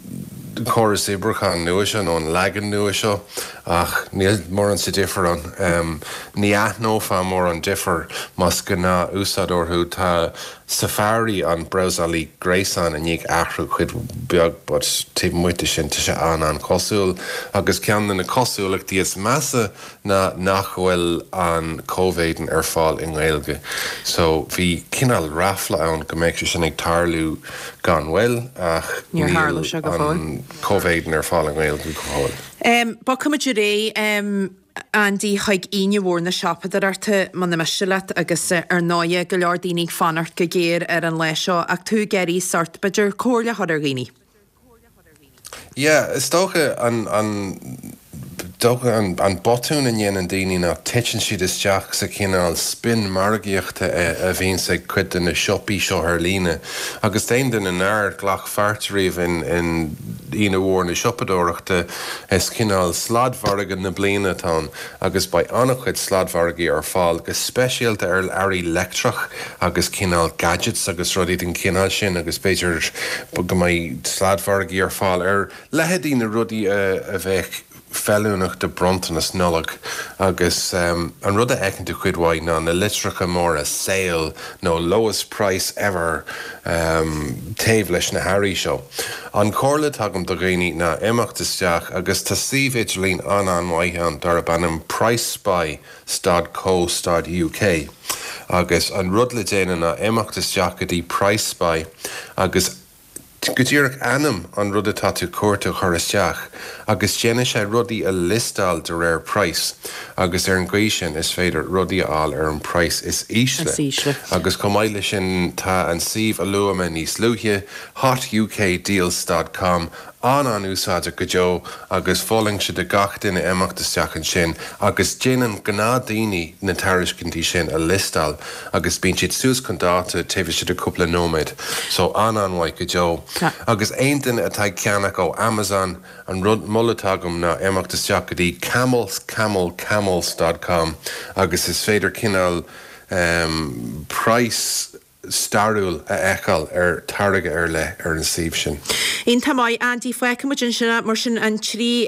chóras oibriúcháin nua seo, nó an leagan nua seo, ach níl mórán sa difear ann. Ní aithneofá mórán difear más gnáth-úsáideoir thú. Tá Safari, an brabhsálaí gréasáin, i ndiaidh athrú cuid bheag but taobh amuigh de sin tá sé an-an-chosúil. Agus ceann de na cosúlachtaí is measa ná nach bhfuil an comhéadan ar fáil i nGaeilge. So bhí cineál ráfla ann go mbeadh sé sin ag tarlú gan mhoill ach Níor tharla sé go fóill. an comhéadan ar fáil i nGaeilge go fóill. Bogfaimid ar aghaidh, Andy, chuig Aoine Mhór na Siopadóireachta, muna miste leat, agus ar ndóighe go leor daoine ag fanacht go géar ar an lá seo ach tú ag iarraidh sórt, b'fhéidir, comhairle a chur ar dhaoine. Yeah, is dócha an, an. Dócha an botún a ndéanann daoine ná titeann siad isteach sa chineál spin margaíochta a bhíonns ag cuid de na siopaí seo ar líne. Agus d'aon duine nár ghlac pháirt riamh in Aoine Mhór na Siopadóireachta, is cineál sladmhargadh na bliana atá ann agus beidh an-chuid sladmhargaí ar fáil, go speisialta ar earraí leictreach agus cineál gadgets agus rudaí den chineál sin agus b'fhéidir go mbeidh sladmhargaí ar fáil ar leithéidí na rudaí a bheadh feiliúnach do bronntanas Nollag agus an rud a fheiceann tú cuid mhaith ná na litreacha móra 'sale' nó 'lowest price ever' taobh leis na hearraí seo. An chomhairle atá agam do dhaoine ná imeacht isteach agus tá suíomh idirlín an-an-mhaith ann darb ainm PriceSpy stad co stad uk agus an rud le déanamh ná imeacht isteach go dtí PriceSpy agus go díreach ainm an rud atá tú cuartú a chur isteach agus déanfaidh sé rudaí a liostáil de réir praghas agus ar an gcaoi sin is féidir rudaí a fháil ar an praghas is ísle. Agus chomh maith leis sin tá an suíomh a luaigh mé níos luaithe, hotukdeals dot com, an-an-úsáideach go deo agus mholfainnse do gach duine imeacht isteach ansin agus déanann gnáthdaoine na tairiscintí sin a liostáil agus bíonn siad suas chun dáta taobh istigh de cúpla nóiméad. So an-an-mhaith go deo. Agus aon duine atá ag ceannach ó Amazon, an rud, moladh atá agam ná imeacht isteach go dtí camelcamelcamels dot com agus is féidir cineál praghas stairiúil a fheiceáil ar táirge ar leith ar an suíomh sin. Iontach maith, Andy. Fágfaidh muid ansin é mar sin an 3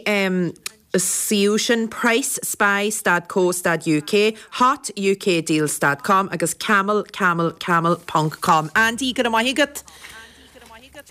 suíomh sin, Price Spy stad co stad UK, Hot UK Deals stad com agus Camel Camel Camel ponc com. Andy, go raibh maith agat.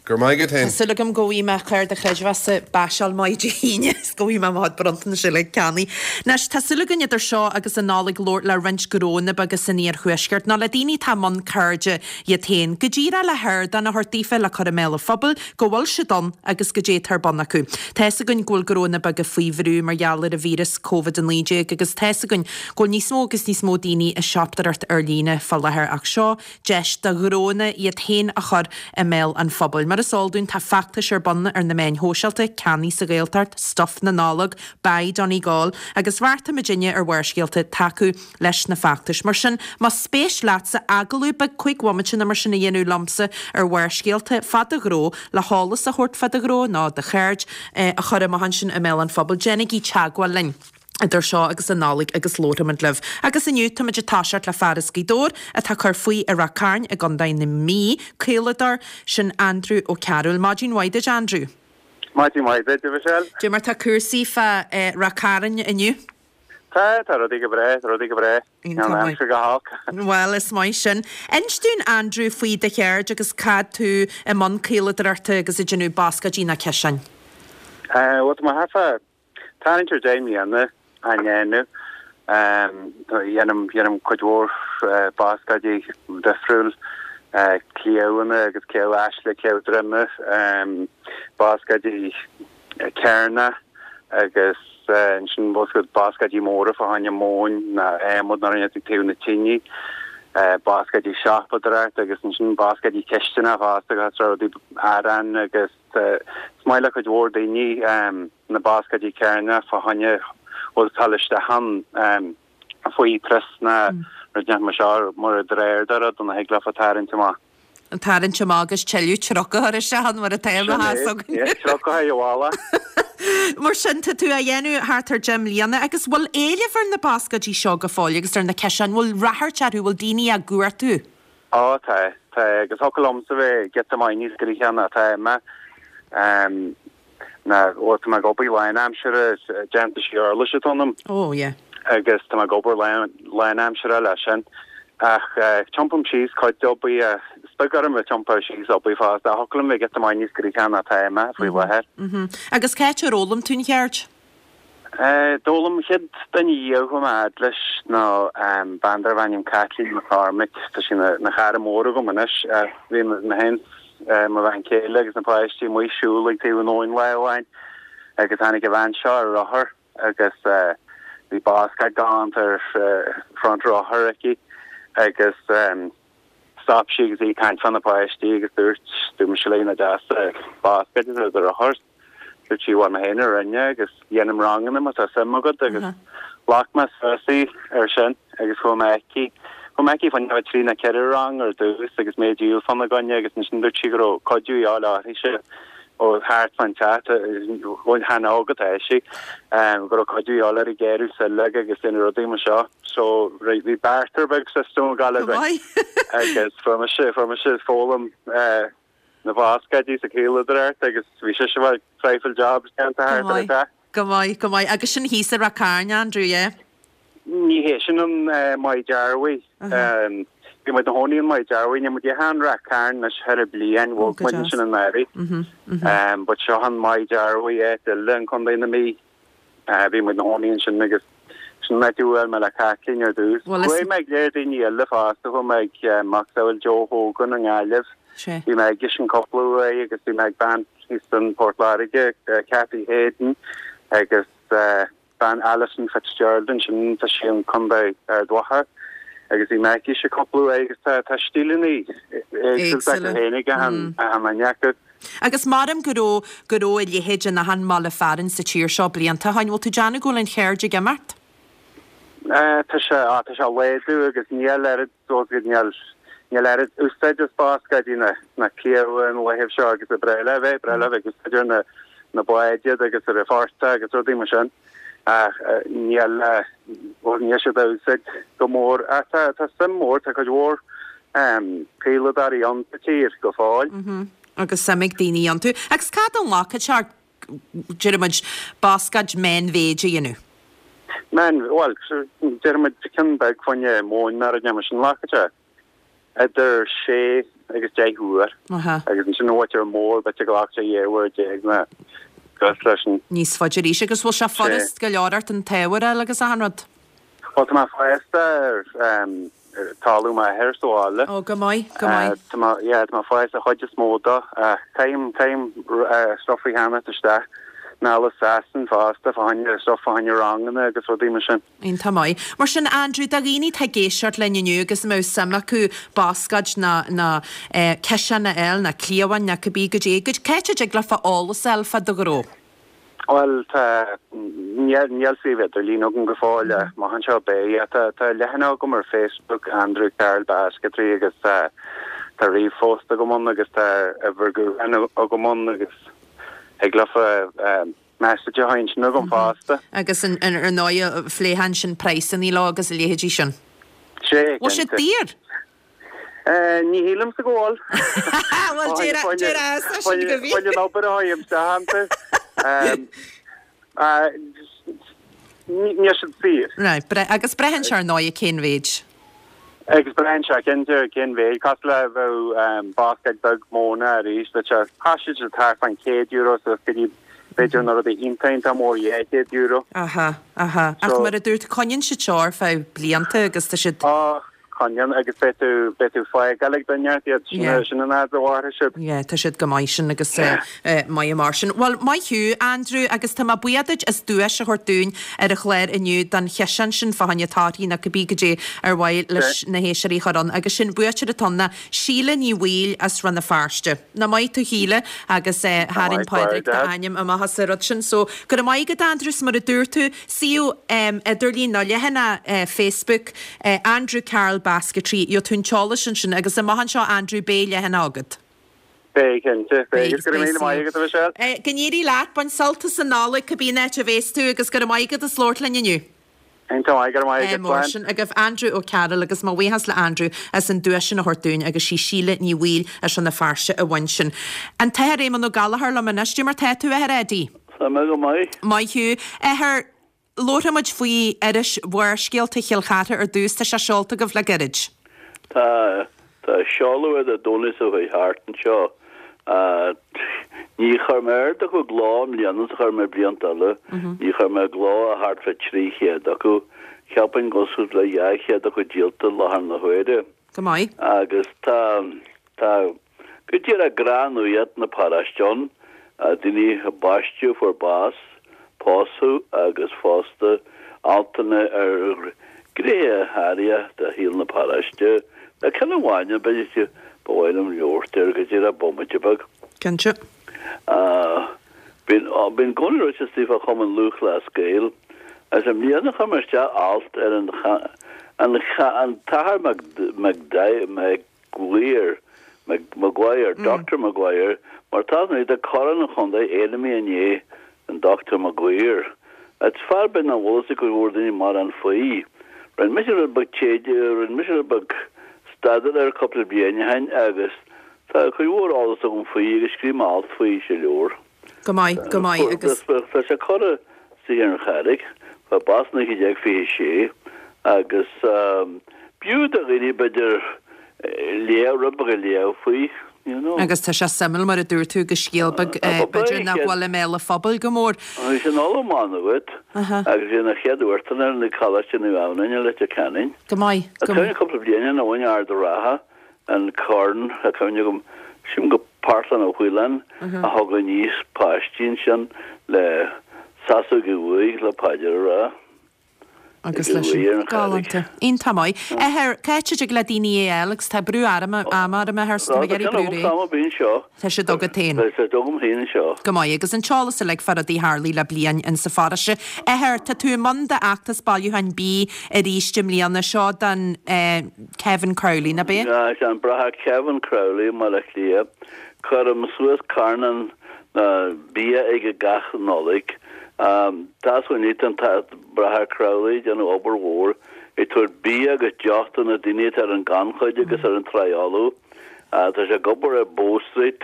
Go raibh maith agat féin. Tá súil agam go bhfaighidh mé cárta creidmheasa baiseáil maith Dé hAoine is go bhfaighidh mé mo chuid bronntanais uilig ceannaithe. Anois, tá súil againn idir seo agus an Nollaig labhairt le roinnt gnónna beaga san iarthuaisceart, nó le daoine atá i mbun ceirde iad féin, go díreach le hardán a thabhairt daofa le cur i mbéal an phobail go bhfuil siad ann agus goidé atá ar bun acu. Tá fhios againn go bhfuil gnónna beaga faoi bhrú mar gheall ar an víreas Covid-19 agus tá fhios againn go bhfuil níos mó agus níos mó daoine ag siopadóireacht ar líne fá láthair ach seo deis do ghnónna iad féin a chur i mbéal an phobail. Mar is eol dúinn, tá feachtais ar bun ar na meáin shóisialta, Ceannaigh sa Ghaeltacht, Stuif na Nollag, Buy Donegal, agus bheartaigh muidinne ar Bharrscéalta tacú leis na feachtais. Mar sin, más spéis leatsa agallamh beag 5 bhomaite nó mar sin a dhéanamh liomsa ar Bharrscéalta fá do ghnó, le heolas a thabhairt fá do ghnó nó do cheird a chur amach ansin i mbéal an phobail, déanaigí teagmháil linn. idir seo agus an Nollaig agus labharfaimid libh. Agus inniu táimid ag toiseacht le fear as Gaoth Dobhair atá ag cur faoi i Ráth Cairn i gContae na Mí, caoladóir, sin Andrew Ó Cearúil. Maidin mhaith duit Andrew. Maidin mhaith duit, a Mhichelle. Dé mar tá cúrsaí fá Ráth Cairn inniu? Tá, tá rudaí go breá, tá rudaí go breá. Níl an aimsir go holc. Bhuel, is maith sin. Inis dúinn Andrew faoi do cheird agus cad tú i mbun caoladóireachta agus ag déanamh bascáidí ná ciseáin. Bhuel, tá mé thart fá Tarraingt ar 10 mbliana á ndéanamh. Dhéanaim, dhéanaim cuid mhór bascáidí difriúil, cliabhanna agus cliabh aisle, cliabh droime, bascáidí cearna agus ansin bascáidí móra fá choinne móin ná adhmad nó rud inteacht ag taobh na tine, bascáidí siopadóireachta agus ansin bascáidí cisteanach fosta agus rudaí arán agus is maith le cuid mhór daoine. na bascáidí cearna fá choinne bhfuil dul isteach ann faoi prios ná rud inteacht mar seo mar drawer de rud ina thig leofa tarraingt amach. An tarraingt amach agus tuilleadh truc a chur isteach ann mar atá i mo chás againn. Sin é, truc a chur i bhfolach. Mar sin, tá tú á dhéanamh thart ar 10 mbliana agus bhfuil éileamh ar na bascáidí seo go fóill agus ar na ciseáin, bhfuil ráchairt orthu, bhfuil daoine á gcuartú? Á, tá, tá, agus thiocfadh liomsa bheith giota maith níos gnoithí ná atá mé. Ná, bhuel, tá mé ag obair lánaimseartha, déantóir uirlisí atá ionam. Oh, yeah. Agus tá mé ag obair lánaimseartha leis sin. Ach tiompaim síos cuid d'obair, is beag orm a tiompar síos obair fosta. Thiocfadh liom bheith giota maith níos gnoithí ná atá mé faoi láthair. Agus cá háit ar fhoghlaim tú an cheird? D'fhoghlaim an chéad duine a chuaigh mé fhad leis ná bean darbh ainm Caitlín McCormick. Tá sí ina chara mór agam anois. Bhí mé féin, mo bhean chéile agus na páistí amuigh ag siúl ag taobh an abhainn lá amháin agus tháinig an bhean seo ar rothar agus bhí bascáid galánta ar front rothar aici agus stop sí agus í ag caint fá na páistí agus dúirt, dúirt mise léi nach deas an bascáid atá ar do rothar. Dúirt sí, bhuel, mé féin a rinne agus dhéanaim ranganna má tá suim agat agus ghlac mé suas í ar sin agus chuaigh mé aici. Chuaigh mé aici fá choinne trí nó ceithre rang ar dtús agus mé ag díol fána gcoinne agus ansin dúirt sí go raibh cuidiú a dhíobháil uirthise ó thart fán teach, chan óg atá sí, go raibh cuidiú a dhíobháil uirthi ag gearradh sileog agus déanamh rudaí mar seo. So bhí barter beag system ag gabháil againn agus fuair mise, fuair mise foghlaim na bhascáidí is an chaoladóireacht agus bhí sise a bheith traidhfil jobs déanta thart ar an teach. Go maith, go maith. Agus sin thíos i Ráth Cairn, Andrew, yeah? Ní hé sin an Maigh Dearbhaí. Bhí muid 'na chónaí in Maigh Dearbhaí, níl muid in Ráth Cairn anois thar bliain, bhog muid ansin anuraidh. But seo an Maigh Dearbhaí áit eile in Contae na Mí. Bhí muid 'na chónaí ansin agus sin an áit a bhuail mé le Caitlín ar dtús. Chuaigh mé ag léir daoine eile fosta, chuaigh mé ag macasamhail Joe Hogan i nGaillimh, bhí mé aigesean cúpla uair agus bhí mé ag bean thíos in Port Láirge, Cathy Hayden agus bean Alison Fitzgerald ansin, tá sí in Contae Ard Mhacha agus bhí mé aici cúpla uair agus tá stíleanna éagsúla acu féin ag achan duine acu. Agus maram go raibh, go raibh a leithéid in achan mbaile fearainn sa tír seo blianta ó shoin, bhfuil tú ag déanamh go bhfuil an cheird ag imeacht? Tá sé, á, tá sé ag laghdú agus níl oiread, níl, níl oiread úsáid as bascáidí ná, ná cliabha na laethibh seo agus ba bhreá le a bheith, breá le a bheith ag úsáid ar na, na báid iad agus ar an phortach agus rudaí mar sin. Ach níl, bhuel níl siad á úsáid go mór. Ach tá, tá suim mhór, tá cuid mhór caoladóirí ann sa tír go fóill. Agus suim ag daoine iontu. Agus cá fhad a ghlacann sé ort, déarfaidh muid, bascáid meánmhéid a dhéanamh? Meán, bhuel, déarfaidh muid ceann beag fá choinne móin mar a déarfaidh muid sin, glacann sé. idir sé agus 10 uair agus ansin an mhuintir mór b'fhéidir go nglacfadh sé 12 uair nó cosúil leis sin. Níos faide arís agus bhfuil sé furast go leor ort an t-ábhar a fháil agus achan rud? Bhuel tá mé fásta ar talamh m'athar sa bhaile. Ó go maith, go maith. Tá mé, yeah, tá mé fásta chuid is mó dó. Caithim, caithim stuff a cheannacht isteach anall as Sasain fosta fá choinne stuff fá choinne ranganna agus rudaí mar sin. Iontach maith. Mar sin, Andrew, do dhaoine atá ag éisteacht linn inniu agus a mbeadh suim acu bascáid ná ná ciseán a fháil ná cliabhán ná cibé goidé, cá háit a dtig leofa eolas a fháil fá do ghnó? Bhuel, tá, níl, níl suíomh idirlín agam go fóill ach amach anseo beidh. Tá, tá leathanach agam ar Facebook, Andrew Carroll Basketry agus tá, tá ríomhphost agam ann agus tá uimhir gutháin agam ann agus thig leofa message a chur ansin chugam fosta. Agus ar ndóigh phléifeá ansin praghsanna leo agus a leithéidí sin. Sé, Bhfuil siad daor? Ní shílimse go bhfuil. Bhuel, déarfá sin go bhí. Fá choinne an obair a théann isteach iontu. Níl siad saor. Right, agus braitheann sé ar ndóigh cén mhéid. Agus braitheann sé cinnte cén mhéid, cosúil le bheadh bascáid beag móna arís, bheadh sé, thosaigh siad thart fán €100 suas go dtí b'fhéidir na rudaí iontach iontach mór €200. Aha, aha. Ach mar a dúirt, coinníonn siad seo ar feadh blianta agus tá siad. Á, coinníonn agus beidh tú, beidh tú fágáil ag duine ort iad, sin, Yeah. sin an fhad a mhairfidh siad. Yeah, tá siad go maith sin agus eh, eh, maith mar sin. Bhuel, maith thú, Andrew, agus tá mé buíoch duit as duais a thabhairt dúinn ar an chlár inniu don chiseán sin fá choinne torthaí nó cibé goidé ar mhaith leis na héisteoirí a chur ann. Agus sin buaiteoir atá ann ná Síle Ní Bhaoill as Rann na Feirste. Nach maith tú Shíle agus eh, tharraing Pádraig d'ainm amach as an rud sin. So, go raibh maith agat Andrew, 's mar a dúirt tú, suíomh idirlín nó leathanach Facebook Andrew Carroll Basketry, gheobhaidh tú an t-eolas ansin agus amach anseo Andrew beidh leathanach agat. Beidh, cinnte. Beidh. Agus go raibh míle maith agat, a Mhichelle. Go n-éirí leat, bain sult as an Nollaig cibé an áit a bhéas tú agus go raibh maith agat as labhairt linn inniu. Iontach maith, go raibh maith agat, Mar sin agaibh Andrew O'Carroll agus mo bhuíochas le Andrew as an duais sin a thabhairt dúinn agus sí Síle Ní Bhaoill as Rann na Feirste a bhain sin. An tAthair Éamonn Ó Gallchóir liom anois, Dé mar tá tú, a Athair Eddie? Tá mé go maith. Maith thú. Athair, labharfaidh muid faoi iris Bharrscéalta Chill Chartha ar dtús. Tá sé seolta agaibh le gairid. Tá. Tá seoladh ar Dé Domhnaigh seo chuaigh thart anseo. Ní chuir mé oiread acu i gcló i mbliana is a chuir mé blianta eile. Ní chuir mé i gcló ach thart fá 300 acu. Cheapfainn go bhfuil suas le 200 acu díolta i láthair na huaire. Go maith. Agus tá, tá go díreach gnáthnuacht na paróiste ann, daoine a baisteadh, a fuair bás, pósadh agus fosta altanna ar ghnéithe áirithe de shaol na paróiste. Tá ceann amháin ann, b'fhéidir, ba mhaith liom labhairt air go díreach bomaite beag. Cinnte. Bím i gcónaí ráite istigh fá Chumann Lúthchleas Gael agus i mbliana chuir mé isteach alt ar an an an tAthair Mac Maguire Maguire, Doctor Maguire, mar tá nuair tá Corn an Chontae ainmnithe i ndiaidh an Doctor Maguire. Is fear beag nach bhfuil fhios ag cuid mhór daoine mórán faoi. Rinne mise rud beag taighde, rinne mise rud beag staidéir air cúpla bliain ó shin agus tá cuid mhór eolas agam faoi agus scríobh mé alt faoi sa leabhar. Go maith, go maith agus. Tá sé curtha istigh ar an Charraig, fuair bás 1926 agus b'fhiú do dhaoine b'fhéidir léamh, rud beag a léamh faoi, you know. Agus tá sé suimiúil mar a dúirt tú agus scéal beag b'fhéidir nach bhfuil i mbéal an phobail go mór. Bhí sé ina ollamh Má Nuad agus bhí ina chéad uachtarán ar Choláiste Naomh Adhamhnáin i Leitir Ceanainn. Go maith, go maith. Cúpla bliain ó shin Ard an Rátha an corn, tá cuimhne agam, sílim gur Parthlán Ó Faoláin a thug aníos páistí ansin le seasamh ag an uaigh le paidir a rá. Agus leis an. Galánta. Iontach maith. Athair, cá háit a dtig le daoine é a fháil agus tá brú ama orm athair so tá mé ag iarraidh brú réidh. Tá siad agat féin. Tá siad agam féin anseo. Go maith. Agus an t-eolas uilig fá rudaí a tharlaigh le bliain in sa pharóiste. Athair, tá tú i mbun d'fheachtas bailiúcháin bídh arís i mbliana. Seo don eh. Kevin Crowley, ná bea? Sea, an Bráthair Kevin Crowley i mBaile Átha Cliath. Cuirim suas carnán bia aige gach Nollaig. Tá súil an Bráthair Crowley ag déanamh obair mhór, ag tabhairt bia agus deoch do na daoine atá ar an gannchuid agus ar an tráigh fholamh. Tá sé ag obair ar Bow Street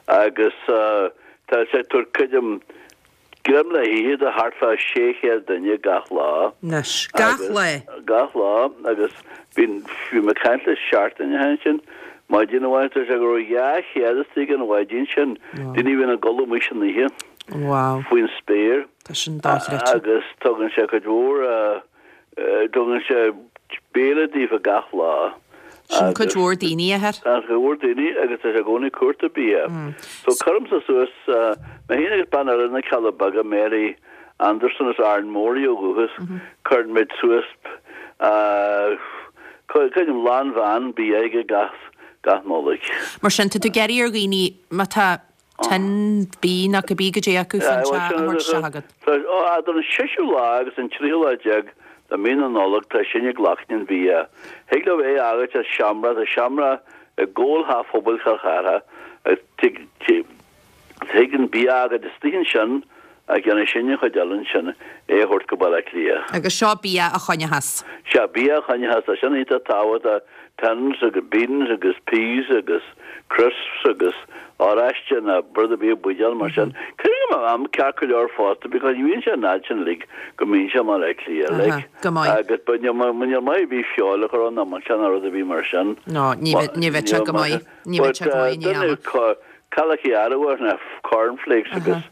agus tá sé ag tabhairt creidim Greim le hithe do thart fá 600 duine gach lá. Anois. Gach lá? Gach lá agus bhí, bhí mé ag caint le seachtain ó shin ansin, maidin amháin, dúirt sé go raibh 200 istigh an mhaidin sin, daoine a bhí ina gcodladh amuigh san oíche. Wow. Faoin spéir. Tá sin dochreidte. Agus tugann sé cuid mhór Tugann sé béile daofa gach lá. Sin cuid mhór daoine, a athair. Tá cuid mhór daoine agus tá sé i gcónaí ag cuartú bia. So cuirimse suas, mé féin agus bean eile na Cealla Beaga, Mary Anderson as Árainn Mhór í ó dhúchas, cuireann muid suas, creidim lán veain bia aige gach, gach Nollaig. Mar sin, tá tú ag iarraidh ar dhaoine, má tá tin bídh nó cibé goidé acu fán teach a thabhairt isteach agat. Ó, idir an seisiú lá agus an tríú lá déag de mí na Nollag tá sinn ag glacadh an bhia. Thig leo é a fhágailt sa seomra, tá seomra i gcúl Theach Phobail Chill Chartha agus tig an bia a fhágailt istigh ansin ach déanfaidh sinn an chuid eile ansin, é a thabhairt go Baile Átha Cliath. Agus seo bia a choinneochas. Sea, bia a choinneochas, tá sin iontach tábhachtach, tins agus beans agus peas agus crisps agus oráiste nó rud ar bith i mbuidéal mar sin. Cuireann go mbeadh am ceart go leor fosta because ní bhíonn sé an fhad sin uilig go mbíonn sé i mBaile Átha Cliath, like. Go maith. Agus but níl níl maith ar bith feoil a chur ann ná milseáin ná rud ar bith mar sin. No, ní bheadh sé go maith. Ní bheadh sé go maith in aon ama. Caillte arbhair ná corn flakes agus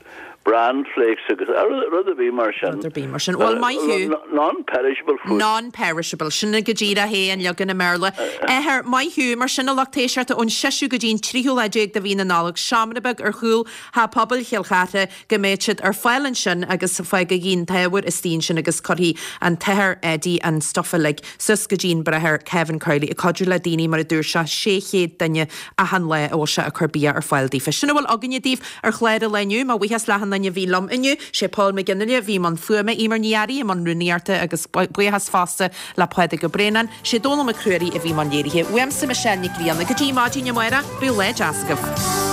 bran flakes agus rud ar bith mar sin. Rud ar bith mar sin. Bhuel, maith thú. Non-perishable food. Non-perishable. Sin go díreach é an leagan i mBéarla. Athair, maith thú. Mar sin, a lucht éisteachta, ón seisiú go dtí an tríú lá déag de mhí na Nollag, seomra beag ar chúl Theach Pobail Chill Chartha, go mbeidh siad ar fáil ansin agus fágaigí an t-ábhar istigh ansin agus cuirfidh an tAthair Eddie an stuif uilig suas go dtí an Bráthair Kevin Crowley ag cuidiú le daoine mar a dúirt sé 600 duine achan lá a bhfuil sé ag cur bia ar fáil daofa. Sin a bhfuil againne daoibh ar chlár an lae inniu. Mo bhuíochas le achan duine a bhí liom inniu. Sé Paul McGinley a bhí i mbun fuaime, Eimear Ní Fhearraigh i mbun rúnaíochta agus buíochas fosta le Pádraig Ó Braonáin. Sé Dónall Mac Ruairí a bhí i mbun léirithe. Uaimse Michelle Nic Grianna. Go dtí maidin amárach, bíodh lá deas agaibh.